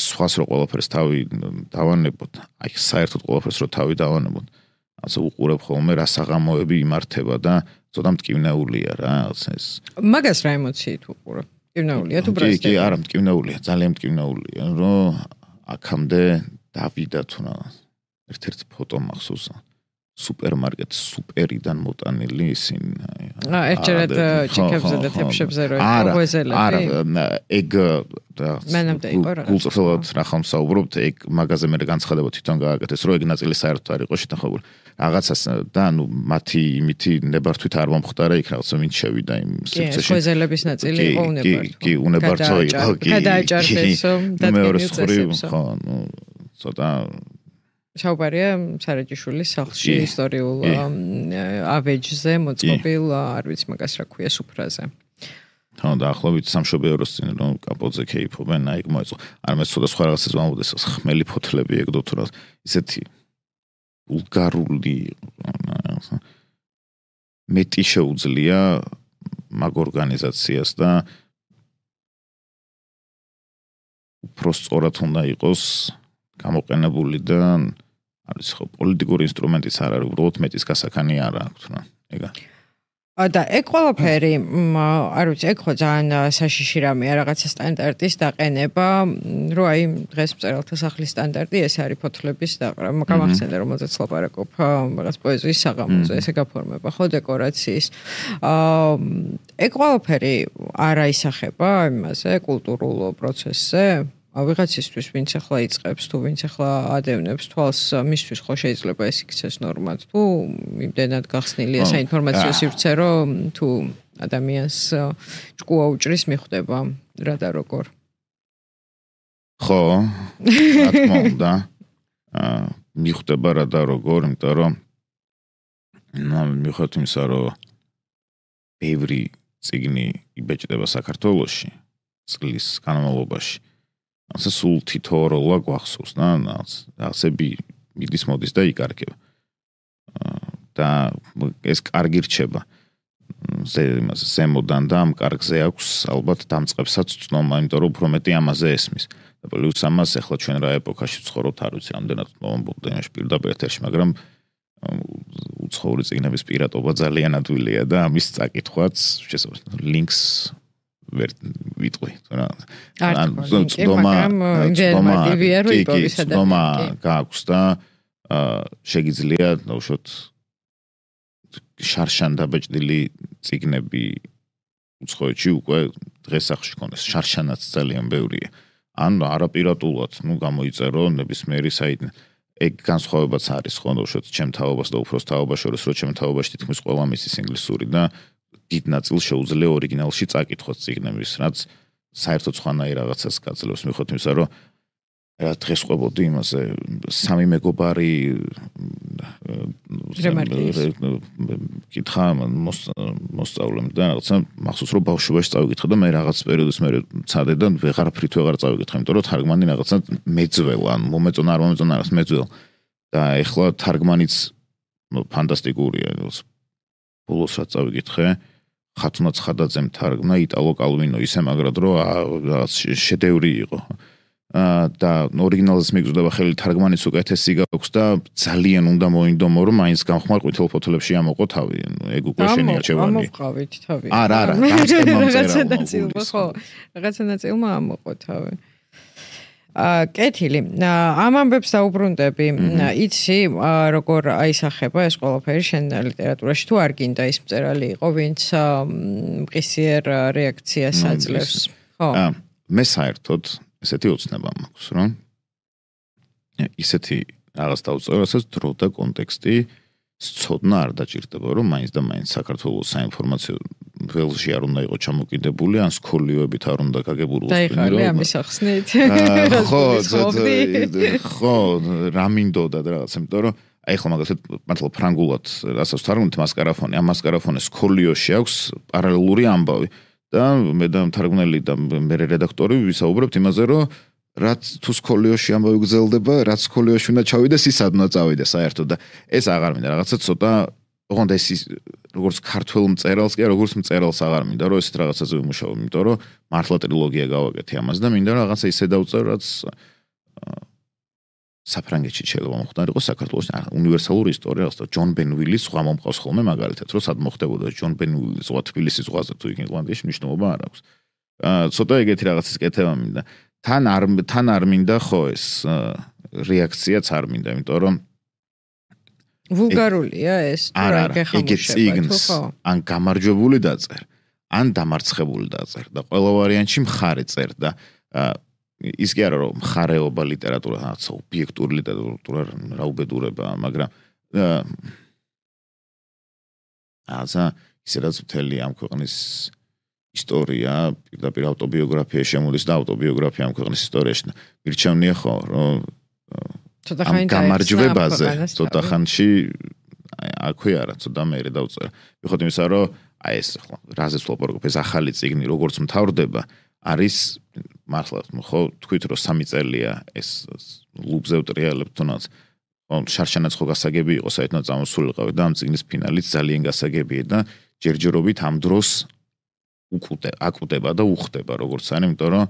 სხვას რო ყველაფერს თავი დავანებოთ აი საერთოდ ყველაფერს რო თავი დავანებოთ ასე უყურებ ხოლმე რა საღამოები იმართება და ცოტა მტკივნეულია რა ეს. მაგას რა ემოციით უყურებ? მტკივნეულია თუ ბრასტი? კი, კი, არა, მტკივნეულია, ძალიან მტკივნეულია, რომ აქამდე დავიდა თუ რა ერთ-ერთი ფოტო მახსოვს სუპერმარკეტ სუპერიდან მოტანილი ისინი. აა ერთჯერად ჩიქებზე და თეფშებზე რო ეყვეზელები. არა, ეგ მანამდე იყო რა. გულწრფელად რა ხომ საუბრობთ, ეგ მაგაზე მე განცხადება თვითონ გააკეთეს, რომ ეგ ნაწილი საერთოდ არ იყო შეთანხმებული. რაღაცას და ნუ მათი იმითი ნებართვით არ მომხდარა იქ რაღაცა ვინც შევიდა იმ სივრცეში. კი, ეყვეზელების ნაწილი იყო უნებართვო. კი, კი, უნებართვო იყო, კი. გადააჭარბესო და დადგენილ ხო, ნუ ცოტა საუბარია სარაჯიშვილის სახლში ისტორიულ ავეჯზე მოწყობილ არ ვიცი მაგას რა ქვია სუფრაზე. ხო და ახლობით სამშობიაროს წინ რომ კაპოძე ქეიფობენ, აი ეგ მოეწყო. არ მე ცოტა სხვა რაღაცას ვამბობდეს, ხმელი ფოთლები ეგდო თუ რა ისეთი ვულგარული მეტი შეუძლია მაგ ორგანიზაციას და უფრო სწორად უნდა იყოს გამოყენებული და არის ხო პოლიტიკური ინსტრუმენტიც არ არის, უბრალოდ მეტის გასახანი არ აქვს რა. ეგა. და ეგ ყველაფერი, არ ვიცი, ეგ ხო ძალიან საშიში რამეა რაღაცა სტანდარტის დაყენება, რომ აი დღეს მწერალთა სახლის სტანდარტი ეს არის ფოთლების და გამახსენდა რომელზეც ლაპარაკობ რაღაც პოეზიის საღამოზე, ესე გაფორმება ხო დეკორაციის. აა ეგ ყველაფერი არ აისახება იმაზე კულტურულ პროცესზე. ვიღაცისთვის ვინც ახლა იწყებს თუ ვინც ახლა ადევნებს თვალს მისთვის ხო შეიძლება ეს იქცეს ნორმად თუ იმდენად გახსნილია საინფორმაციო სივრცე რომ თუ ადამიანს ჭკუა უჭრის მიხვდება რა და როგორ ხო რა თქმა უნდა მიხვდება რა და როგორ იმიტომ რომ მიხვდეთ იმისა რომ ბევრი წიგნი იბეჭდება საქართველოში წლის განმავლობაში ასე სულ თითო როლა გვახსოვს და ასები მიდის მოდის და იკარგება და ეს კარგი რჩება იმაზე ზემოდან და ამ კარგზე აქვს ალბათ დამწყებსაც ცნობა იმიტომ რომ უფრო მეტი ამაზე ესმის და პლუს ამას ახლა ჩვენ რა ეპოქაში ვცხოვრობთ არ ვიცი რამდენად მომბობდა იმაში პირდაპირ ეთერში მაგრამ უცხოური წიგნების პირატობა ძალიან ადვილია და ამის წაკითხვაც შესაძლოა ლინკს ვერ ვიტყვი რა ან ძდომა ინფორმატივია რომ იპოვისა და ძდომა გააქვს და შეგიძლია უშოთ შარშან დაბეჭდილი წიგნები უცხოეთში უკვე დღეს ახში ქონდეს შარშანაც ძალიან ბევრია ან არაპირატულად ნუ გამოიწერო ნებისმიერი საიტი ეგ განსხვავებაც არის ხო უშოთ ჩემ თაობას და უფროს თაობას შორის რომ ჩემ თაობაში თითქმის ყველა მისის ინგლისური და დიდ ნაწილს შეუძლია ორიგინალში წაკითხოს წიგნების, რაც საერთოდ სხვანაირ რაღაცას გაძლევს მიხვდეთ იმისა, რომ რა დღეს ყვებოდი იმაზე სამი მეგობარი კითხა მოსწავლემ და რაღაცა მახსოვს რომ ბავშვობაში წავიკითხე და მე რაღაც პერიოდის მერე ცადე და ვეღარაფრით ვეღარ წავიკითხე, იმიტომ რომ თარგმანი რაღაცა მეძველა, მომეწონა არ მომეწონა რაღაც მეძველ და ეხლა თარგმანიც ფანტასტიკურია, ბოლოს რაც წავიკითხე ხათუნა ცხადაძემ თარგმნა იტალო კალვინო ისე მაგრად რომ რაღაც შედევრი იყო და ორიგინალს მიგზდება ხელი თარგმანის უკეთესი გაქვს და ძალიან უნდა მოინდომო რომ მაინც გამხმარ ყვითელ ფოთლებში ამოყო თავი ეგ უკვე შენი არჩევანია ამოვყავით თავი არა არა რაღაცა ნაწილმა ხო რაღაცა ნაწილმა ამოყო თავი კეთილი ამ ამბებს დაუბრუნდები იცი როგორ აისახება ეს ყველაფერი შენ ლიტერატურაში თუ არ გინდა ის მწერალი იყო ვინც მყისიერ რეაქციას აძლევს ხო მე საერთოდ ესეთი ოცნება მაქვს რომ ისეთი რაღაც დაუწერო რასაც დრო და კონტექსტი სწოდნა არ დაჭირდება რომ მაინც და მაინც საქართველოს საინფორმაციო ველში არ უნდა იყოს ჩამოკიდებული ან სკოლიოებით არ უნდა გაგებურულოს დაიხარე ამის ახსნით ხო ხო რა მინდოდა და რაღაც იმიტომ რომ აი ხო მაგალითად მართლა ფრანგულად რასაც თარგმნით მასკარაფონი ამ მასკარაფონეს სკოლიოში აქვს პარალელური ამბავი და მე და მთარგმნელი და მე რედაქტორი ვისაუბრებთ იმაზე რომ რაც თუ სკოლიოში ამბავი გრძელდება რაც სკოლიოში უნდა ჩავიდეს ის ადნა წავიდეს საერთოდ და ეს აღარ მინდა რაღაცა ცოტა ოღონდ ეს როგორც ქართულ მწერალს კი როგორც მწერალს აღარ მინდა რომ ესეთ რაღაცაზე ვიმუშაო იმიტომ რომ მართლა ტრილოგია გავაკეთე ამას და მინდა რაღაცა ისე დავწერო რაც საფრანგეთში შეიძლება მოხდა იყო საქართველოს უნივერსალური ისტორია, რასაც ჯონ ბენვილის ზღვა მომყავს ხოლმე მაგალითად, რომ სად მოხდებოდა ჯონ ბენვილის ზღვა თბილისის ზღვაზე თუ იქ ირლანდიაში მნიშვნელობა არ აქვს. აა ცოტა ეგეთი რაღაცის კეთება მინდა. თან არ თან არ მინდა ხო ეს რეაქციაც არ მინდა, იმიტომ რომ ვულგარულია ეს თუ რა გეხმოშება ხო? ან გამარჯვებული დაწერ, ან დამარცხებული დაწერ და ყველა ვარიანტში მხარე წერ და ის კი არა რომ მხარეობა ლიტერატურა, რაღაც ობიექტური ლიტერატურა რა უბედურება, მაგრამ აზა ისედაც მთელი ამ ქვეყნის ისტორია, პირდაპირ ავტობიოგრაფია შემოდის და ავტობიოგრაფია ამ ქვეყნის ისტორიაში. მირჩევნია ხო, რომ ამ გამარჯვებაზე ცოტა ხანში აქვე არა, ცოტა მეერე დავწერა. ვიხოთ იმისა, რომ აი ეს ხო, რაზეც ვლაპარაკობ, ეს ახალი წიგნი როგორც მთავრდება, არის მართლა ხო თქვით რომ სამი წელია ეს ლუბზე ვტრიალებ თუნდაც ხო შარშანაც ხო გასაგები იყო საერთოდ წამოსულიყავი და ამ წიგნის ფინალიც ძალიან გასაგებია და ჯერჯერობით ამ დროს უკუტე აკუტება და უხდება როგორც არის, იმიტომ რომ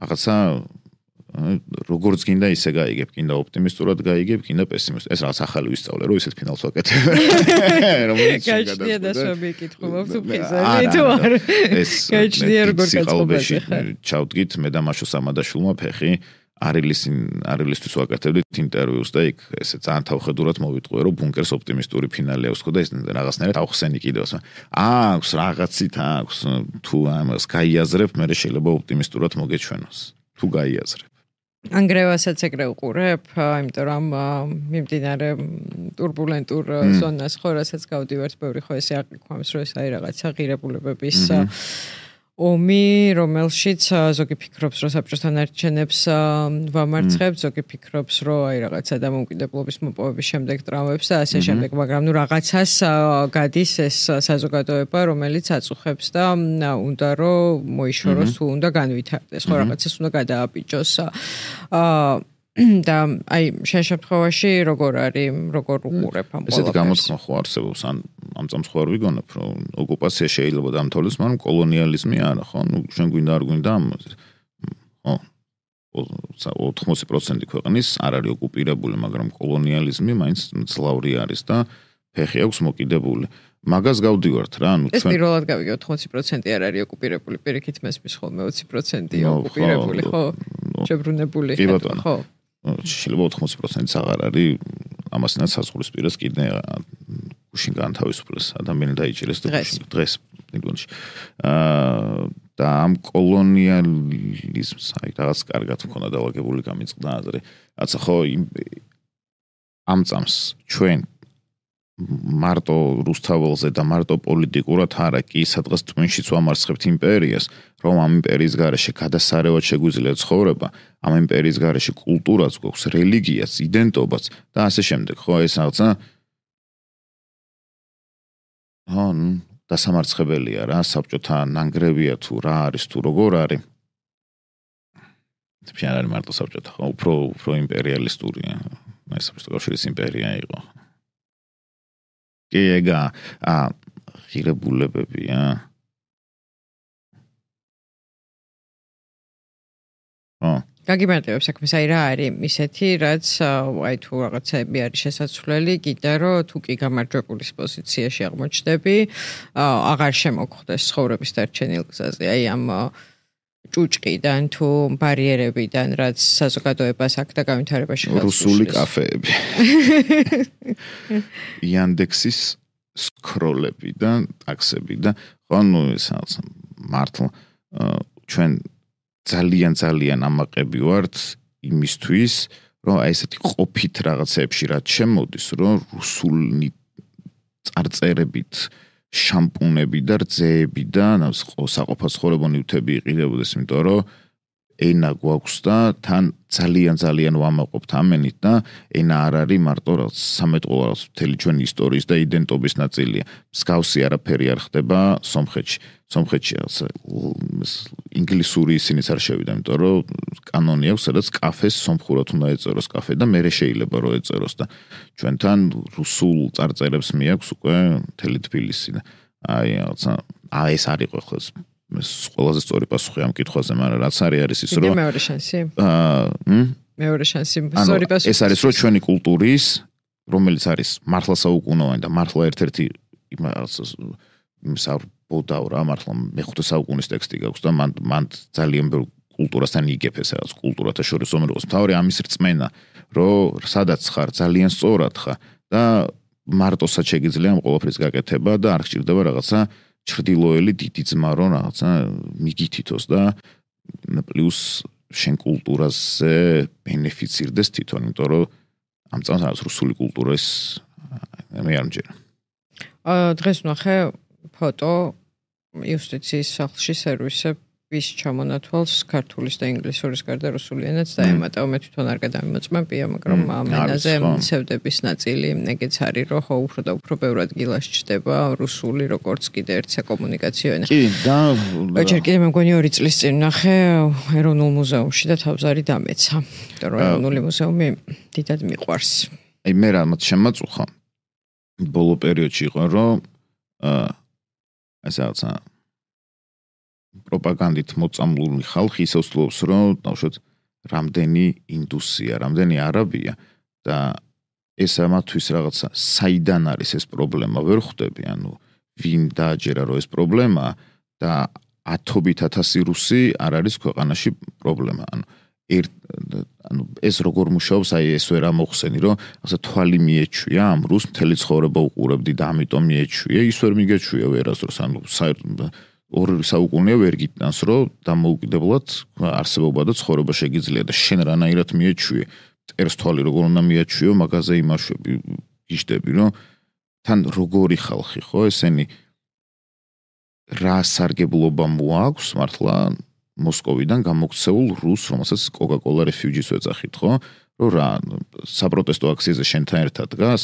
რაღაცა როგორც გინდა ისე გაიგებ, გინდა ოპტიმისტურად გაიგებ, გინდა პესიმისტურად. ეს რაღაც ახალი ვისწავლე, რომ ისეთ ფინალს ვაკეთებ. გაჩნია და შობი კითხულობ თუ ფიზარი თუ არ. ეს გაჩნია როგორ გაწყობაში. ჩავდგით მე და მაშო სამადაშვილმა ფეხი არილის არილისთვის ვაკეთებდით ინტერვიუს და იქ ესე ძალიან თავხედურად მოვიტყვე, რომ ბუნკერს ოპტიმისტური ფინალი აქვს ხო და ეს რაღაცნაირად ავხსენი კიდევს. აქვს რაღაცით აქვს თუ ამას გაიაზრებ, მე შეიძლება ოპტიმისტურად მოგეჩვენოს. თუ გაიაზრებ. ანგრევასაც ეგრე უყურებ, იმიტომ რომ მიმდინარე турბულენტურ ზონას ხო, რასაც გავდივართ, ბევრი ხო ესე აყიქვამს, რომ ეს აი რაღაცა ღირებულებების ომი, რომელშიც ზოგი ფიქრობს, რომ საბჭოთა ნარჩენებს ვამარცხებთ, ზოგი ფიქრობს, რომ აი რაღაცა დამოუკიდებლობის მოპოვების შემდეგ ტრამვებს და ასე შემდეგ, მაგრამ ნუ რაღაცას გადის ეს საზოგადოება, რომელიც აწუხებს და უნდა რომ მოიშოროს, თუ უნდა განვითარდეს, ხო რაღაცას უნდა გადააბიჯოს. აა და აი შენ შემთხვევაში როგორ არის, როგორ უყურებ ამ ყველაფერს? ესეთი გამოთქმა ხო არსებობს, ან ამ წამს ხო არ ვიგონებ, რომ ოკუპაცია შეიძლება დამთავრდეს, მაგრამ კოლონიალიზმი არა, ხო? ნუ შენ გვინდა არ გვინდა ამ ხო ოთხმოცი პროცენტი ქვეყნის არ არის ოკუპირებული, მაგრამ კოლონიალიზმი მაინც ძლავრი არის და ფეხი აქვს მოკიდებული. მაგას გავდივართ რა, ანუ ჩვენ ეს პირველად გავიგე ოთხმოცი პროცენტი არ არის ოკუპირებული, პირიქით მესმის ხოლმე ოცი პროცენტი ოკუპირებული, ხო? შებრუნებული ხო? შეიძლება ოთხმოცი პროცენტი აღარ არის, ამასთანაც საზღვრისპირას კიდე გუშინ განთავისუფლეს ადამიანი დაიჭირეს და დღეს ნიკონში. აა და ამ კოლონიალიზმს აი რაღაც კარგად მქონდა დავაგებული გამიწყდა აზრი. რაცა ხო ამ წამს ჩვენ მარტო რუსთაველზე და მარტო პოლიტიკურად არა კი სადღაც ტვინშიც ვამარცხებთ იმპერიას, რომ ამ იმპერიის გარეშე გადასარევად შეგვიძლია ცხოვრება, ამ იმპერიის გარეშე კულტურაც გვაქვს, რელიგიაც, იდენტობაც და ასე შემდეგ, ხო, ეს რაღაცა ხო, დასამარცხებელია რა, საბჭოთა ნანგრევია თუ რა არის თუ როგორ არის. შენ არ მარტო საბჭოთა, ხო, უფრო უფრო იმპერიალისტურია. აი საბჭოთა კავშირის იმპერია იყო. კი ეგა აა ღირებულებებია. ო გაგიმარტივებ საქმეს, აი რა არის ისეთი, რაც აი თუ რაღაცები არის შესაძლებელი, კიდე რომ თუ კი გამარჯვებულის პოზიციაში აღმოჩნდები, აღარ შემოგხვდეს ცხოვრების დარჩენილ გზაზე. აი ამ ჭუჭყიდან თუ ბარიერებიდან, რაც საზოგადოებას აქ და განვითარებაში ხელს რუსული კაფეები. იანდექსის სკროლები და ტაქსები და ხო ნუ ეს მართლა ჩვენ ძალიან ძალიან ამაყები ვართ იმისთვის, რომ აი ესეთი ყოფით რაღაცებში რაც შემოდის, რომ რუსული წარწერებით შამპუნები და რძეები და საყოფაცხოვრებო ნივთები იყიდებოდეს, იმიტომ რომ ენა გვაქვს და თან ძალიან ძალიან ვამაყობთ ამენით და ენა არ არის მარტო რაღაც სამეთყო რაღაც მთელი ჩვენი ისტორიის და იდენტობის ნაწილია. მსგავსი არაფერი არ ხდება სომხეთში. სომხეთში ინგლისური ისინიც არ შევიდა, იმიტომ რომ კანონი აქვს, სადაც კაფეს სომხურად უნდა ეწეროს კაფე და მერე შეიძლება რომ ეწეროს და ჩვენთან რუსულ წარწერებს მიაქვს უკვე მთელი თბილისი და აი რაღაცა აი ეს არ იყო ხო ეს ყველაზე სწორი პასუხი ამ კითხვაზე, მაგრამ რაც არის არის ის რომ მეორე შანსი. აა მეორე შანსი სწორი პასუხი. ეს არის რომ ჩვენი კულტურის, რომელიც არის მართლა საუკუნოვანი და მართლა ერთ-ერთი საუბოდავ რა, მართლა მეხუთე საუკუნის ტექსტი გაქვს და მან მან ძალიან ბევრ კულტურასთან იგებს რაღაც კულტურათა შორის ომეროს. თავი ამის რწმენა, რომ სადაც ხარ ძალიან სწორად ხარ და მარტოსაც შეგიძლია ამ ყველაფრის გაკეთება და არ გჭირდება რაღაცა ჩრდილოელი დიდი ძმა რომ რაღაცა მიგითითოს და პლუს შენ კულტურაზე ბენეფიცირდეს თვითონ, იმიტომ რომ ამ წამს რაღაც რუსული კულტურის მე არ მჯერა. აა დღეს ვნახე ფოტო იუსტიციის სახლში სერვისებს ჩამონათვალს ქართულის და ინგლისურის გარდა რუსული ენაც დაემატა. მე თვითონ არ გადამიმოწმებია, მაგრამ ამ ენაზე მცევდების ნაწილი ეგეც არის, რომ ხო უფრო და უფრო ბევრ ადგილას ჩდება რუსული, როგორც კიდე ერთ საკომუნიკაციო ენა. კი, და ჯერ კიდე მე მგონი ორი წლის წინ ვნახე ეროვნულ მუზეუმში და თავზარი დამეცა. იმიტომ რომ ეროვნული მუზეუმი დიდად მიყვარს. აი მე რამაც შემაწუხა ბოლო პერიოდში იყო, რომ აა ესე რაღაცა პროპაგანდით მოწამლული ხალხი ისე ვცდილობს, რომ დავუშვათ რამდენი ინდუსია, რამდენი არაბია და ეს ამათვის რაღაცა საიდან არის ეს პრობლემა ვერ ხვდები, ანუ ვინ დააჯერა რომ ეს პრობლემაა და ათობით ათასი რუსი არ არის ქვეყანაში პრობლემა. ანუ ერთ ანუ ეს როგორ მუშაობს, აი ეს ვერ ამოხსენი, რომ ასე თვალი მიეჩვია ამ რუს მთელი ცხოვრება უყურებდი და ამიტომ მიეჩვია, ის ვერ მიგეჩვია ვერასდროს, ანუ ორი საუკუნეა ვერ გიტანს, რომ დამოუკიდებლად არსებობა და ცხოვრება შეგიძლია და შენ რანაირად მიეჩვიე, წერს თვალი როგორ უნდა მიაჩვიო, მაგაზე იმაშვები, გიждები, რომ თან როგორი ხალხი ხო, ესენი რა სარგებლობა მოაქვს მართლა მოსკოვიდან გამოქცეულ რუს, რომელსაც Coca-Cola refugees ეძახით, ხო? რომ რა საპროტესტო აქციაზე შენთან ერთად დგას,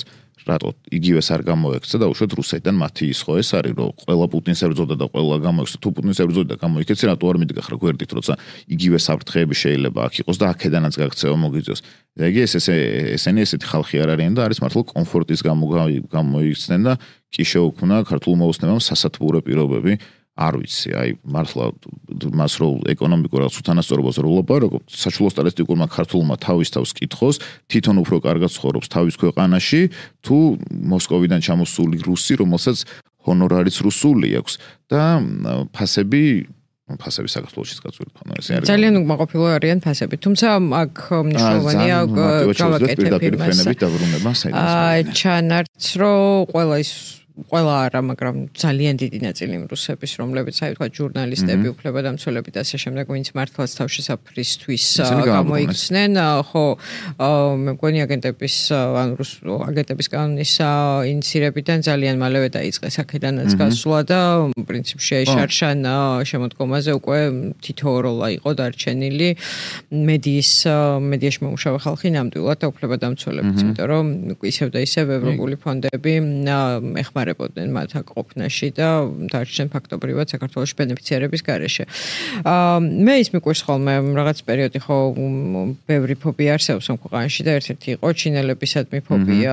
რატო იგივეს არ გამოექცა და უშუალოდ რუსეთიდან მათი ის ხო ეს არის, რომ ყველა პუტინს ებრძოდა და ყველა გამოექცა, თუ პუტინს ებრძოდა და გამოიქეცი, რატო არ მიდგა ხარ გვერდით, როცა იგივე საფრთხეები შეიძლება აქ იყოს და აქედანაც გაქცევა მოგიწევს. და იგი ეს ესე ესენი ესეთი ხალხი არ არიან და არის მართლა კომფორტის გამო გამოიქცნენ და კი შეუქმნა ქართულმა ოცნებამ სასათბურე პირობები. არ ვიცი, აი მართლა მას რო ეკონომიკურად უთანასწორობას რო ვლაპარაკობ, საჩუქრო სტატისტიკურმა ქართულმა თავის თავს კითხოს, თვითონ უფრო კარგად ცხოვრობს თავის ქვეყანაში, თუ მოსკოვიდან ჩამოსული რუსი, რომელსაც ჰონორარიც რუსული აქვს და ფასები ფასები საქართველოშიც გაწურდა ხომ ეს არის. ძალიან უკმაყოფილო არიან ფასები. თუმცა აქ მნიშვნელოვანია გავაკეთებ ფენებით დაბრუნება საერთოდ. ჩანართს რო ყველა ის ყველა არა, მაგრამ ძალიან დიდი ნაწილი რუსების, რომლებიც აი თქვა ჟურნალისტები, უფლებადამცველები და ასე შემდეგ, ვინც მართლაც თავშესაფრისთვის გამოიქცნენ, ხო, მე მგონი აგენტების, ანუ რუს აგენტების კანონის ინიცირებიდან ძალიან მალევე დაიწყეს აქედანაც გასვლა და პრინციპში შარშან შემოდგომაზე უკვე თითოეულა იყო დარჩენილი მედიის მედიაში მომუშავე ხალხი ნამდვილად და უფლებადამცველებიც, იმიტომ რომ ისევ და ისევ ევროპული ფონდები ეხმარებოდნენ მათ აკ-ყოფნაში და დარჩენ ფაქტობრივად საქართველოს ბენეფიციარების გარეშე. მე ის მიყვარს ხოლმე რაღაც პერიოდი ხო ბევრი ფობია არსებობს ამ ქვეყანაში და ერთ-ერთი იყო ჩინელებისადმი ფობია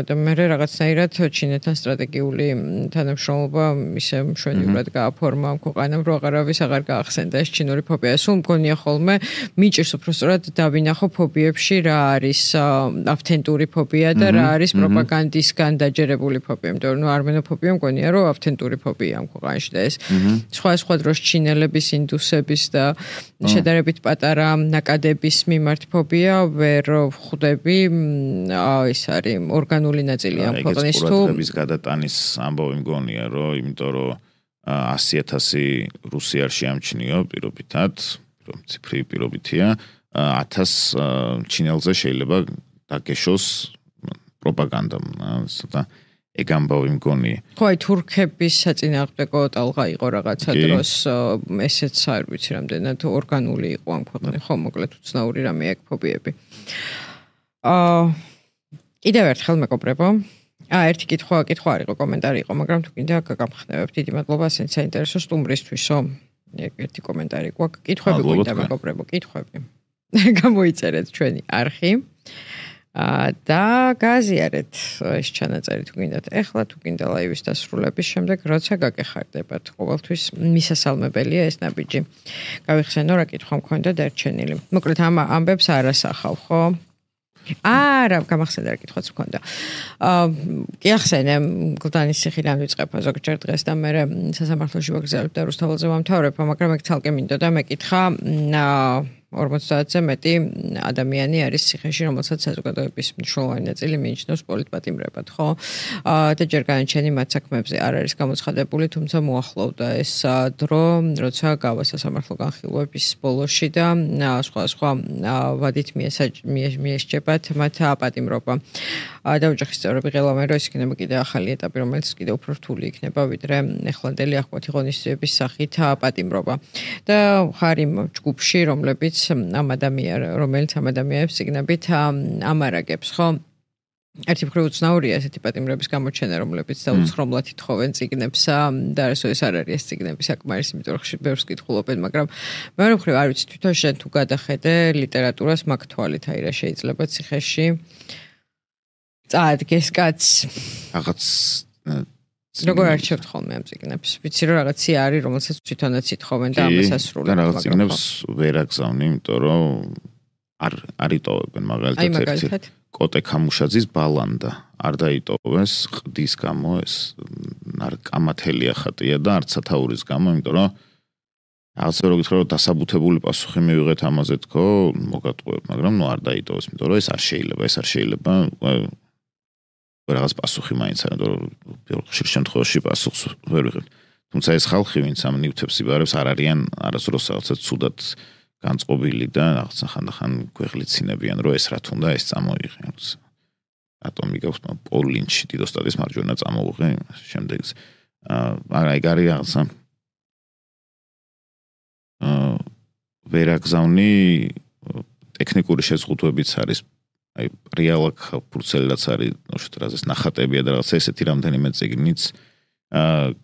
და მე რაღაცნაირად ჩინეთთან სტრატეგიული თანამშრომლობა ისე მშვენივრად გააფორმა ამ ქვეყანამ, რომ აღარავის აღარ გაახსენდა ეს ჩინური ფობია. სულ მგონია ხოლმე მიჭირს უფრო სწორად დავინახო ფობიებში რა არის ავთენტური ფობია და რა არის პროპაგანდისგან დაჯერებული ფობია. იმიტომ რომ არმენოფობია მგონია რომ ავთენტური ფობია ამ ქვეყანაში და ეს სხვა სხვა დროს ჩინელების, ინდუსების და შედარებით პატარა ნაკადების მიმართ ფობია ვერ ხვდები. ეს არის ორგანული ნაწილი ამ ქვეყნის თუ ეს გადატანის ამბავი მგონია რომ იმიტომ რომ ასი ათასი რუსი არ შეამჩნიო პირობითად, ციფრი პირობითია, ათას ჩინელზე შეიძლება დაგეშოს პროპაგანდამ, ცოტა ეგ ამბავი მგონია. ხო, აი თურქების საწინააღმდეგო ტალღა იყო რაღაცა დროს, ესეც არ ვიცი რამდენად ორგანული იყო ამ ქვეყნებში, ხო, მოკლედ უცნაური რამე აქ ფობიები. აა კიდევ ერთხელ მეგობრებო, აა ერთი კითხვა, კითხვა არ იყო, კომენტარი იყო, მაგრამ თუ კიდე გაგამხნევებ, დიდი მადლობა, ასეც საინტერესო სტუმრისთვისო. ერთი კომენტარი გვაქვს, კითხვები გვინდა მეგობრებო, კითხვები. გამოიწერეთ ჩვენი არხი. და გააზიარეთ ეს ჩანაწერი თუ გინდათ ეხლა თუ გინდა ლაივის დასრულების შემდეგ როცა გაგეხარდებათ ყოველთვის მისასალმებელია ეს ნაბიჯი გავიხსენო რა კითხვა მქონდა დარჩენილი მოკლედ ამ ამბებს არ ასახავ ხო არა გამახსენდა რა კითხვაც მქონდა აა კი ახსენე გლდანის ციხიდან ვიწყება ზოგჯერ დღეს და მე სასამართლოში ვაგზავნებ და რუსთაველზე ვამთავრებ მაგრამ ეგ ცალკე მინდოდა მეკითხა ორმოცდაათზე მეტი ადამიანი არის ციხეში, რომელსაც საზოგადოების მნიშვნელოვანი ნაწილი მიიჩნევს პოლიტპატიმრებად, ხო? და ჯერ განაჩენი მათ საქმეებზე არ არის გამოცხადებული, თუმცა მოახლოვდა ეს დრო, როცა გავა სასამართლო განხილვების ბოლოში და სხვა სხვა ვადით მიესჯებათ მათ პატიმრობა. და ოჯახის წევრები ღელავენ, რომ ეს იქნება კიდე ახალი ეტაპი, რომელიც კიდე უფრო რთული იქნება, ვიდრე ეხლანდელი აღკვეთი ღონისძიების სახით პატიმრობა. და ხარ იმ ჯგუფში, რომლებიც ამ ადამიანს, რომელიც ამ ადამიანებს სიგნებით ამარაგებს, ხო? ერთი მხრივ უცნაურია ესეთი პატიმრების გამოჩენა, რომლებიც დაუცხრომლად ითხოვენ ციგნებს და არასოდეს ეს არ არის ეს ციგნები საკმარის, იმიტომ რომ ხშირ ბევრს კითხულობენ, მაგრამ მეორე მხრივ არ ვიცი თვითონ შენ თუ გადახედე ლიტერატურას მაგ თვალით, აი რა შეიძლება ციხეში წაადგეს კაც რაღაც როგორ არჩევთ ხოლმე ამ ციგნებს? ვიცი რომ რაღაცი არის, რომელსაც თვითონაც ითხოვენ და ამას ასრულებენ. და რაღაც ციგნებს ვერ აგზავნი, იმიტომ რომ არ არ იტოვებენ მაგალითად ერთი კოტე ქამუშაძის ბალანდა არ დაიტოვეს ყდის გამო ეს კამათელია ხატია და არც სათაურის გამო, იმიტომ რომ რაღაცა რო გითხრა რომ დასაბუთებული პასუხი მივიღეთ ამაზე თქო, მოგატყუებ, მაგრამ ნუ არ დაიტოვეს, იმიტომ რომ ეს არ შეიძლება, ეს არ შეიძლება რაღაც პასუხი მაინც არა, რომ ხშირ შემთხვევაში პასუხს ვერ ვიღებთ. თუმცა ეს ხალხი, ვინც ამ ნივთებს იბარებს, არ არიან არასდროს რაღაცა ცუდად განწყობილი და რაღაცა ხანდახან გვეღლიცინებიან, რომ ეს რა თუნდა ეს წამოიღე. რატომ იგავს პოლინჩი დიდოსტატის მარჯვენა წამოუღე შემდეგს. მაგრამ ეგ არის რაღაცა აა ვერ აგზავნი ტექნიკური შეზღუდვებიც არის აი რეალაკ ფურცელაც არის ნოშტრაზეს ნახატებია და რაღაცა ესეთი რამდენიმე წიგნიც აა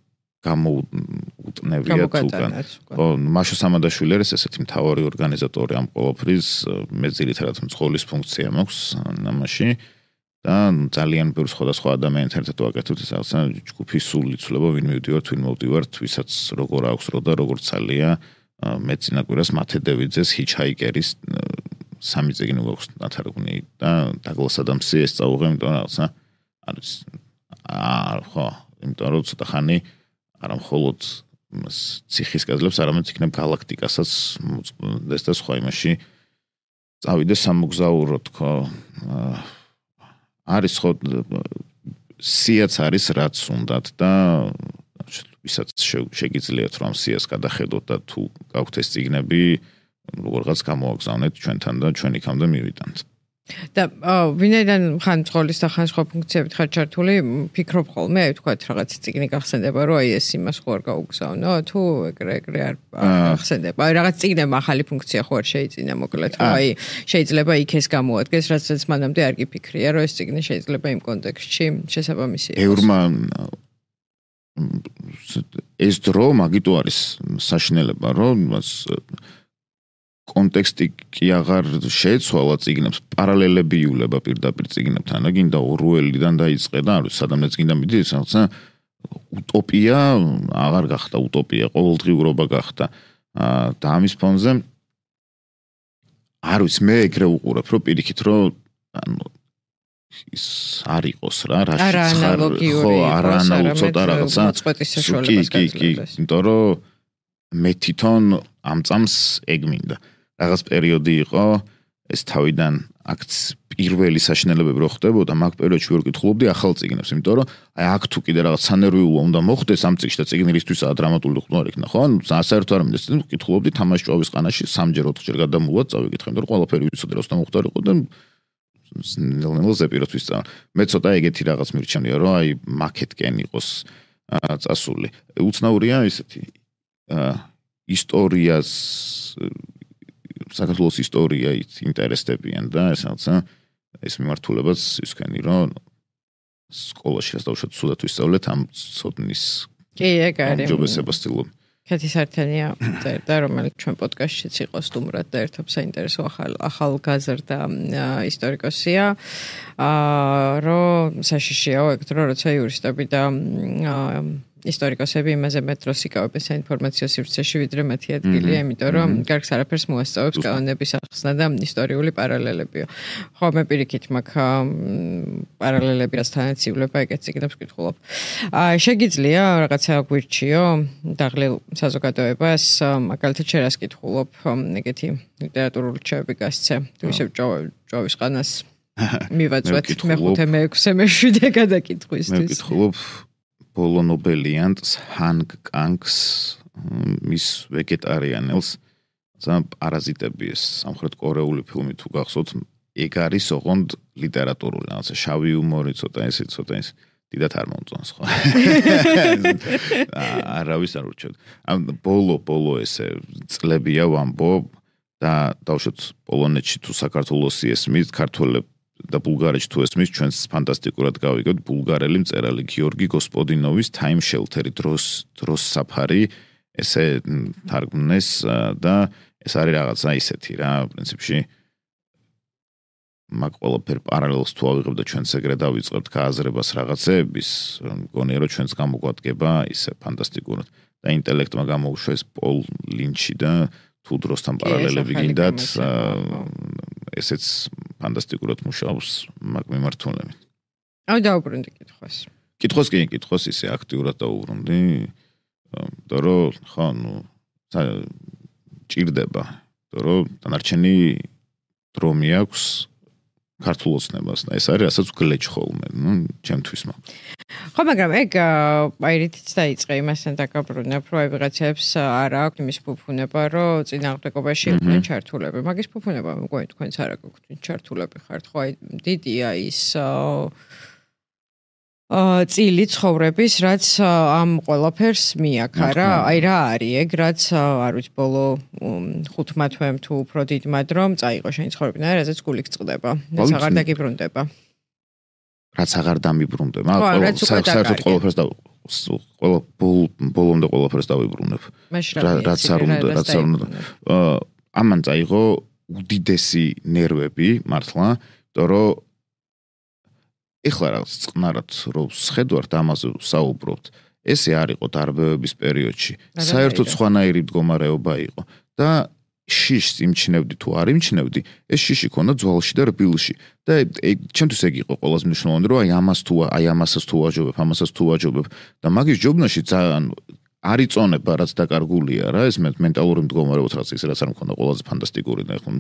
გამოუტნევია თუკან. ხო, მაშო სამადაშვილი არის ესეთი მთავარი ორგანიზატორი ამ ყოველფრის, მე ძირითადად მძღოლის ფუნქცია მაქვს ამაში და ძალიან ბევრ სხვადასხვა ადამიანთან ერთად ვაკეთებ ეს რაღაცა ჯგუფის სული ცვლება, ვინ მივდივართ, ვინ მოვდივართ, ვისაც როგორ აქვს რო და როგორ ცალია მე წინა კვირას მათე დევიძეს ჰიჩჰაიკერის სამი წიგნი გვაქვს ნათარგმნი და დაგლას ადამსი ეს წაუღე, იმიტომ რომ რაღაცა არის აა ხო, იმიტომ რომ ცოტა ხანი არა მხოლოდ ციხის კედლებს, არამედ იქნებ გალაქტიკასაც მოწმდეს და სხვა იმაში წავიდეს სამოგზაურო თქო. არის ხო სიაც არის რაც უნდათ და ვისაც შეგიძლიათ რომ სიას გადახედოთ და თუ გაქვთ ეს წიგნები როგორღაც გამოაგზავნეთ ჩვენთან და ჩვენ იქამდე მივიტანთ. და ვინაიდან ხან მძღოლის და ხან სხვა ფუნქციებით ხარ ჩართული, ფიქრობ ხოლმე, აი თქვათ რაღაც წიგნი გახსენდება, რომ აი ეს იმას ხო არ გაუგზავნო, თუ ეგრე ეგრე არ გახსენდება. აი რაღაც წიგნებმა ახალი ფუნქცია ხო არ შეიძინა, მოკლედ, რომ აი შეიძლება იქ ეს გამოადგეს, რაც მანამდე არ გიფიქრია, რომ ეს წიგნი შეიძლება იმ კონტექსტში შესაბამისი იყოს. ევრმა ეს დრო მაგიტო არის საშინელება, რომ კონტექსტი კი აღარ შეეცვალა წიგნებს, პარალელები იულება პირდაპირ წიგნებთან, და გინდა ორუელიდან დაიწყე და არ ვიცი, სადამეც გინდა მიდის, რაღაცა უტოპია აღარ გახდა უტოპია, ყოველდღიურობა გახდა. და ამის ფონზე არ ვიცი, მე ეგრე უყურებ, რომ პირიქით, რომ ანუ ის არ იყოს რა, რაშიც ხარ, ხო, არა ანალოგიური ცოტა რაღაცა. კი, კი, კი, იმიტომ რომ მე თვითონ ამ წამს ეგ მინდა. რაღაც პერიოდი იყო ეს თავიდან აქ პირველი საშინელებები რო ხდებოდა, მაგ პერიოდში ვერ ვკითხულობდი ახალ წიგნებს, იმიტომ რომ აი აქ თუ კიდე რაღაც სანერვიულო უნდა მოხდეს ამ წიგნში და წიგნისთვისაა დრამატული ხმა არ იქნა, ხო? ანუ საერთოდ არ მინდა, ვკითხულობდი თამაში ჭვავის ყანაში სამჯერ ოთხჯერ გადამუვად წავიკითხე, იმიტომ რომ ყველაფერი ვიცოდი, როსთან მოხდარიყო და ნელ-ნელა ზეპიროთ ვისწავლა. მე ცოტა ეგეთი რაღაც მირჩენია, რომ აი მაკეტკენ იყოს წასული. უცნაურია ისეთი ისტორიას საქართველოს ისტორია ინტერესდებიან და ეს რაღაცა ეს მიმართულებაც ისქენი რომ სკოლაში რაც დავუშვათ სულად ვისწავლეთ ამ ცოდნის კი ეგ არის ჯობესება სტილობ. კეთი სართენია წერდა, რომელიც ჩვენ პოდკასტშიც იყო სტუმრად და ერთობ საინტერესო ახალ ახალგაზრდა ისტორიკოსია. აა რომ საშიშია ეგ დრო როცა იურისტები და ისტორიკოსები იმაზე მეტ დროს იკავებენ საინფორმაციო სივრცეში ვიდრე მათი ადგილია, იმიტომ რომ კარგს არაფერს მოასწავებს კანონების ახსნა და ისტორიული პარალელებიო. ხო, მე პირიქით მაქვს პარალელები რასთანაც ივლება ეგეც იქნებს ვკითხულობ. აა შეგიძლია რაღაცა გვირჩიო დაღლილ საზოგადოებას, მაგალითად შენ რას კითხულობ, ეგეთი ლიტერატურული რჩევები გასცე, თუ ისევ ჭოვის ყანას მივაწვეთ მეხუთე მეექვსე მეშვიდე გადაკითხვისთვის. მე ვკითხულობ ბოლო ნობელიანტს ჰანგ კანგს მის ვეგეტარიანელს ზა პარაზიტები ეს სამხრეთ კორეული ფილმი თუ გახსოვთ ეგ არის ოღონდ ლიტერატურული რაღაცა შავი იუმორი ცოტა ესე ცოტა ეს დიდათ არ მომწონს ხო არავის არ ურჩევთ ამ ბოლო ბოლო ესე წლებია ვამბობ და დავუშვათ პოლონეთში თუ საქართველოსი ესმის ქართველებს და ბულგარეთში თუ ესმის ჩვენს ფანტასტიკურად გავიგებთ ბულგარელი მწერალი გიორგი გოსპოდინოვის Time Shelter-ი დროს დროს საფარი ესე თარგმნეს და ეს არის რაღაცა ისეთი რა პრინციპში მაგ ყველაფერ პარალელს თუ ავიღებ და ჩვენს ეგრე დავიწყებთ გააზრებას რაღაცეების მგონია რომ ჩვენს გამოგვადგება ისე ფანტასტიკურად და ინტელექტმა გამოუშვეს პოლ ლინჩი და თუ დროსთან პარალელები გინდათ ესეც ფანტასტიკურად მუშაობს მაგ მიმართულებით. აუ დაუბრუნდი კითხვას. კითხვას კი კითხვას ისე აქტიურად დაუბრუნდი. და რომ ხო ნუ ჭირდება, და რომ დანარჩენი დრო მიაქვს ქართულ ოცნებას და ეს არის რასაც გლეჩ ხოლმე, ნუ ჩემთვის მაგ. ხო, მაგრამ ეგ აი რითიც დაიწყე იმასთან დაგაბრუნებ, რომ აი ვიღაცებს არ აქვს იმის ფუფუნება, რომ წინააღმდეგობაში იყვნენ ჩართულები. მაგის ფუფუნება მგონი თქვენც არ აქვს ჩართულები ხართ, ხო აი დიდია ის აა წილი ცხოვრების, რაც ამ ყველაფერს მიაქა რა, აი რა არის ეგ, რაც არ ვიცი ბოლო ხუთმა თვემ თუ უფრო დიდმა დრომ წაიღო შენი ცხოვრებიდან, რაზეც გული გწყდება, რაც აღარ დაგიბრუნდება. რაც აღარ დამიბრუნდება, საერთოდ ყველაფერს და ყველა ბოლომდე ყველაფერს დავიბრუნებ. რაც არ უნდა, რაც არ უნდა. ამან წაიღო უდიდესი ნერვები მართლა, იმიტომ რომ ეხლა რაღაც წყნარად რომ შეხედვართ ამაზე საუბრობთ, ესე არ იყო დარბევების პერიოდში. საერთოდ სხვანაირი მდგომარეობა იყო და შიშს იმჩნევდი თუ არ იმჩნევდი, ეს შიში ქონდა ძვალში და რბილში. და ჩემთვის ეგ იყო ყველაზე მნიშვნელოვანი, რომ აი ამას თუ აი ამასაც თუ ვაჯობებ, ამასაც თუ ვაჯობებ და მაგის ჯობნაში ძალიან არ იწონება, რაც დაკარგულია რა, ეს მენტალური მდგომარეობა რაც ის რაც არ მქონდა ყველაზე ფანტასტიკური და ხო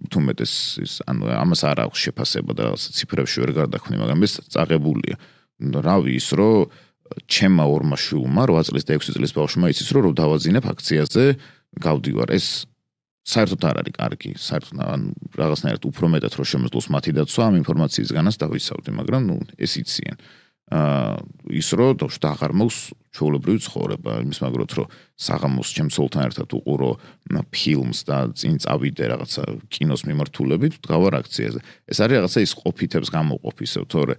თუ მეტეს ის ანუ ამას არ აქვს შეფასება და ციფრებში ვერ გარდაქმნი, მაგრამ ეს წაღებულია. რავი ის რომ ჩემმა ორმა შვილმა რვა წლის და ექვსი წლის ბავშვმა იცის რომ დავაძინებ აქციაზე, გავდივარ ეს საერთოდ არ არის კარგი, საერთოდ ან რაღაცნაირად უფრო მეტად რომ შემოძლოს მათი დაცვა ამ ინფორმაციისგანაც დავიცავდი, მაგრამ ნუ ეს იციან. აა ის რომ დავშ აღარ მაქვს ჩვეულებრივი ცხოვრება, იმის მაგროთ რომ საღამოს ჩემსოლთან ერთად უყურო ფილმს და წინ წავიდე რაღაცა კინოს მიმართულებით, ვდგავარ აქციაზე. ეს არის რაღაცა ის ყოფითებს გამოყოფისევ, თორე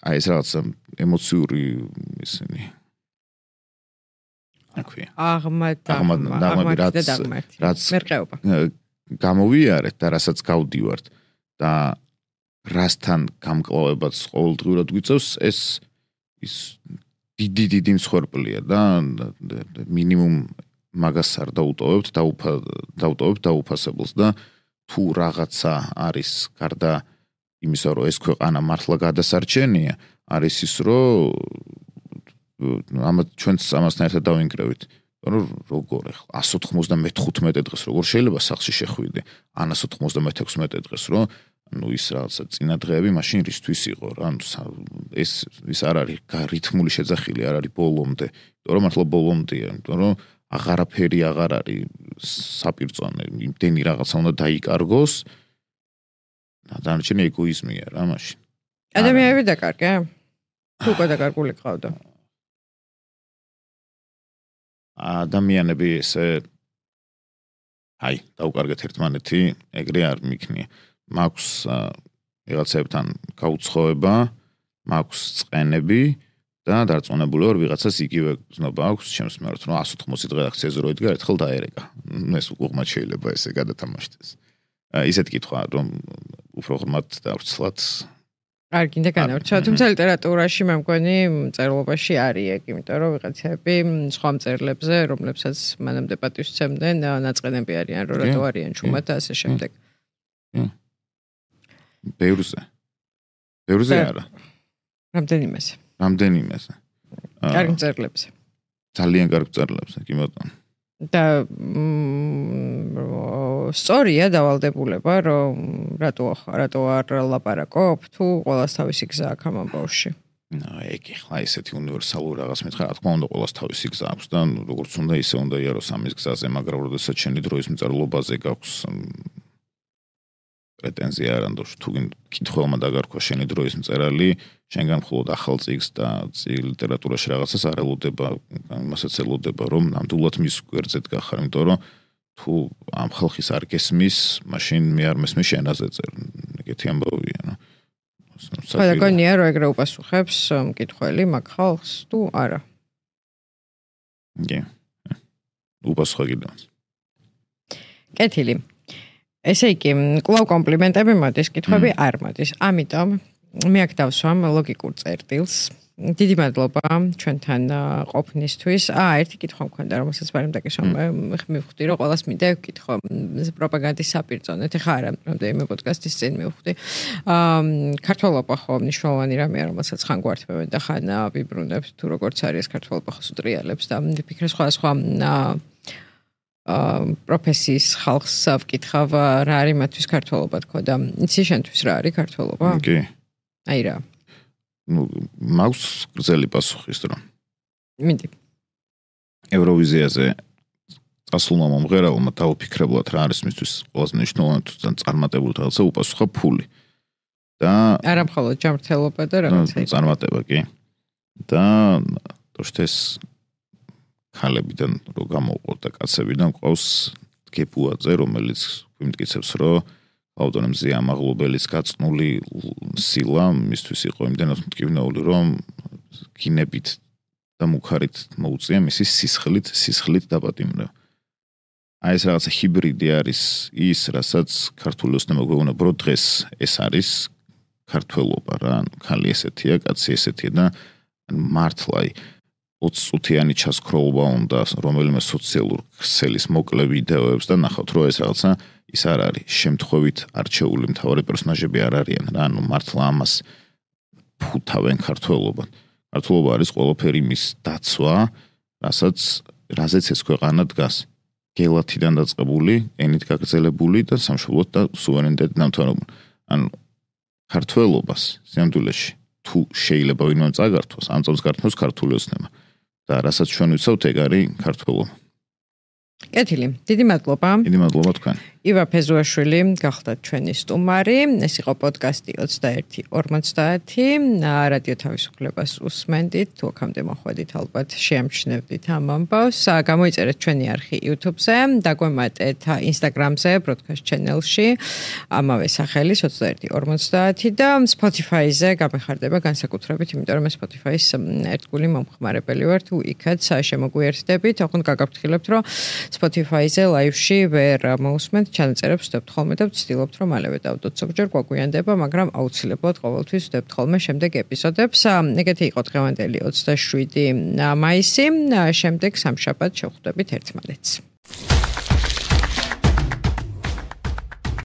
აი ეს რაღაცა ემოციური ისინი აღმად რაც მერყეობა გამოვიარეთ და რასაც გავდივართ და რასთან გამკლავებაც ყოველდღიურად გვიწევს ეს ის დიდი დიდი მსხვერპლია და მინიმუმ მაგას არ დაუტოვებთ და დაუტოვებთ დაუფასებელს და თუ რაღაცა არის გარდა იმისა რომ ეს ქვეყანა მართლა გადასარჩენია არის ის რომ ამათ ჩვენც ამასთან ერთად დავინკრევით რომ როგორ ახლა εκατს ოთხმოცდამეხუთე დღეს როგორ შეიძლება სახლში შეხვიდე ან εκατს ოთხმოცდამექვსმეტე დღეს რომ ну ის რაღაცა წინა დღეები მაშინ რისთვის იყო რა ანუ ეს ის არ არის რითმული შეძახილი არ არის ბოლომდე იმიტომ რომ მართლა ბოლომდეა იმიტომ რომ აღარაფერი აღარ არის საპირწონე იმდენი რაღაცა უნდა დაიკარგოს დანარჩენი ეგოიზმია რა მაშინ ადამიანები დაკარგე თუ უკვე დაკარგული ყავდა ადამიანები ესე აი დაუკარგეთ ერთმანეთი ეგრე არ მიქნია მაქვს რაღაცებთან გაუცხოება მაქვს წყენები და დარწმუნებული ვარ ვიღაცას იგივე გზნობა აქვს ჩემს მიმართ რომ one eighty დღე აქციაზე რო იდგა ერთხელ დაერეკა ეს უყურმად შეიძლება ესე გადათამაშდეს ისეთ კითხვა რომ უფრო ღრმად დავრცლად არ გინდა განავრცვა თუმცა ლიტერატურაში მე მგონი მწერლობაში არის ეგ იმიტომ რომ ვიღაცები სხვა მწერლებზე რომლებსაც მანამდე პატივს სცემდნენ ნაწყენები არიან რომ რატო არიან ჩუმად და ასე შემდეგ ბევრზე ბევრზე არა რამდენიმეზე რამდენიმეზე კარგ მწერლებზე ძალიან კარგ მწერლებზე კი ბატონო და სწორია დავალდებულება რომ რატო რატო არ ლაპარაკობ თუ ყოველას თავისი გზა აქვს ამ ამბავში ნუ ეგ ხა ესეთი უნივერსალური რაღაც მითხრა რა თქმა უნდა ყოველას თავისი გზა აქვს და როგორც უნდა ისე უნდა იაროს ამის გზაზე მაგრამ როდესაც შენი დროის მწერლობაზე გაქვს პრეტენზია არანდო თუ კითხველმა დაგარქვა შენი დროის მწერალი შენგან მხოლოდ ახალ წიგს და ლიტერატურაში რაღაცას არ ელოდება იმასაც ელოდება რომ ნამდვილად მის გვერდზედ გახარ იმიტომ რომ თუ ამ ხალხის არ გესმის მაშინ მე არ მესმის შენაზე წერ ეგეთი ამბავია ნუ ყველა გონია რომ ეგრე უპასუხებს მკითხველი მაგ ხალხს თუ არა კი უპასუხა კიდევ კეთილი ესე იგი კლავ კომპლიმენტები მოდის კითხვები არ მოდის ამიტომ მე აქ დავსვამ ლოგიკურ წერტილს დიდი მადლობა ჩვენთან ყოფნისთვის. აა ერთი კითხვა მქონდა, რომელსაც ბარემ დაკისვა. მივხვდი, რომ ყველას მინდა ვკითხო პროპაგანდის საპირწონეთ. ეხლა არა, რამდენიმე პოდკასტის წინ მივხვდი. აა ქართველობა ხო მნიშვნელოვანი რამეა, რომელსაც ხან გვართმევენ და ხან ვიბრუნებთ, თუ როგორც არის ქართველობა ხო სუტრიალებს და ვფიქრე სხვა სხვა აა პროფესიის ხალხს ვკითხავ, რა არის მათთვის ქართველობა თქო და იცი შენთვის რა არის ქართველობა? კი. აი რა. ну მაქვს გრძელი პასუხი ის რომ მინდი ევროვიზიაზე წასულმა მომღერალმა დაუფიქრებლად რა არის მისთვის ყველაზე მნიშვნელოვანი თუ წარმატებული რაღაცა უპასუხა ფული და არა მხოლოდ ჯანმრთელობა და რაღაცა წარმატება კი და თორშეს ხალებიდან რო გამოვყოთ და კაცებიდან ყავს გეპუაძე რომელიც გვიმტკიცებს რომ ავტონომიზი ამაღლობელის გაწნული სილა მისთვის იყო იმდენად მტკივნეული რომ გინებით და მუქარით მოუწია მისი სისხლით სისხლით დაპატიმრება. აი ეს რაღაცა ჰიბრიდი არის ის რასაც ქართული ოცნება გვეუბნება რომ დღეს ეს არის ქართველობა რა ანუ ხალი ესეთია კაცი ესეთია და მართლა ოცი წუთიანი ჩასქროლობა უნდა რომელიმე სოციალურ ქსელის მოკლე ვიდეოებს და ნახავთ რომ ეს რაღაცა ის არ არის შემთხვევით არჩეული მთავარი პერსონაჟები არ არიან რა ანუ მართლა ამას ფუთავენ ქართველობა ქართველობა არის ყველაფერი მის დაცვა რასაც რაზეც ეს ქვეყანა დგას გელათიდან დაწყებული ენით გაგრძელებული და სამშობლოდ და სუვერენიტეტით დამთავრებული ანუ ქართველობას სამდვილეში თუ შეიძლება ვინმე წაგართვას ამ წამს გართმევს ქართული ოცნება და რასაც ჩვენ ვიცავთ ეგ არის ქართველობა კეთილი დიდი მადლობა დიდი მადლობა თქვენ ივა ფეზუაშვილი გახდათ ჩვენი სტუმარი ეს იყო პოდკასტი ოცდაერთი ორმოცდაათი რადიო თავისუფლებას უსმენდით თუ აქამდე მოხვედით ალბათ შეამჩნევდით ამ ამბავს გამოიწერეთ ჩვენი არხი YouTube-ზე დაგვემატეთ Instagram-ზე broadcast channel-ში ამავე სახელის ოცდაერთი ორმოცდაათი და Spotify-ზე გამეხარდება განსაკუთრებით იმიტომ რომ Spotify-ის ერთგული მომხმარებელი ვარ თუ იქაც შემოგვიერთდებით ოღონდ გაგაფრთხილებთ რომ Spotify-ზე live-ში ვერ მოусმენთ ჩანაწერებს ვდებთ ხოლმე და ვცდილობთ რომ მალევე დავდოთ ზოგჯერ გვაგვიანდება, მაგრამ აუცილებლად ყოველთვის ვდებთ ხოლმე შემდეგ ეპიზოდებს. ეგეთი იყო დღევანდელი ოცდაშვიდი მაისი, შემდეგ სამშაბათს შევხვდებით ერთმანეთს.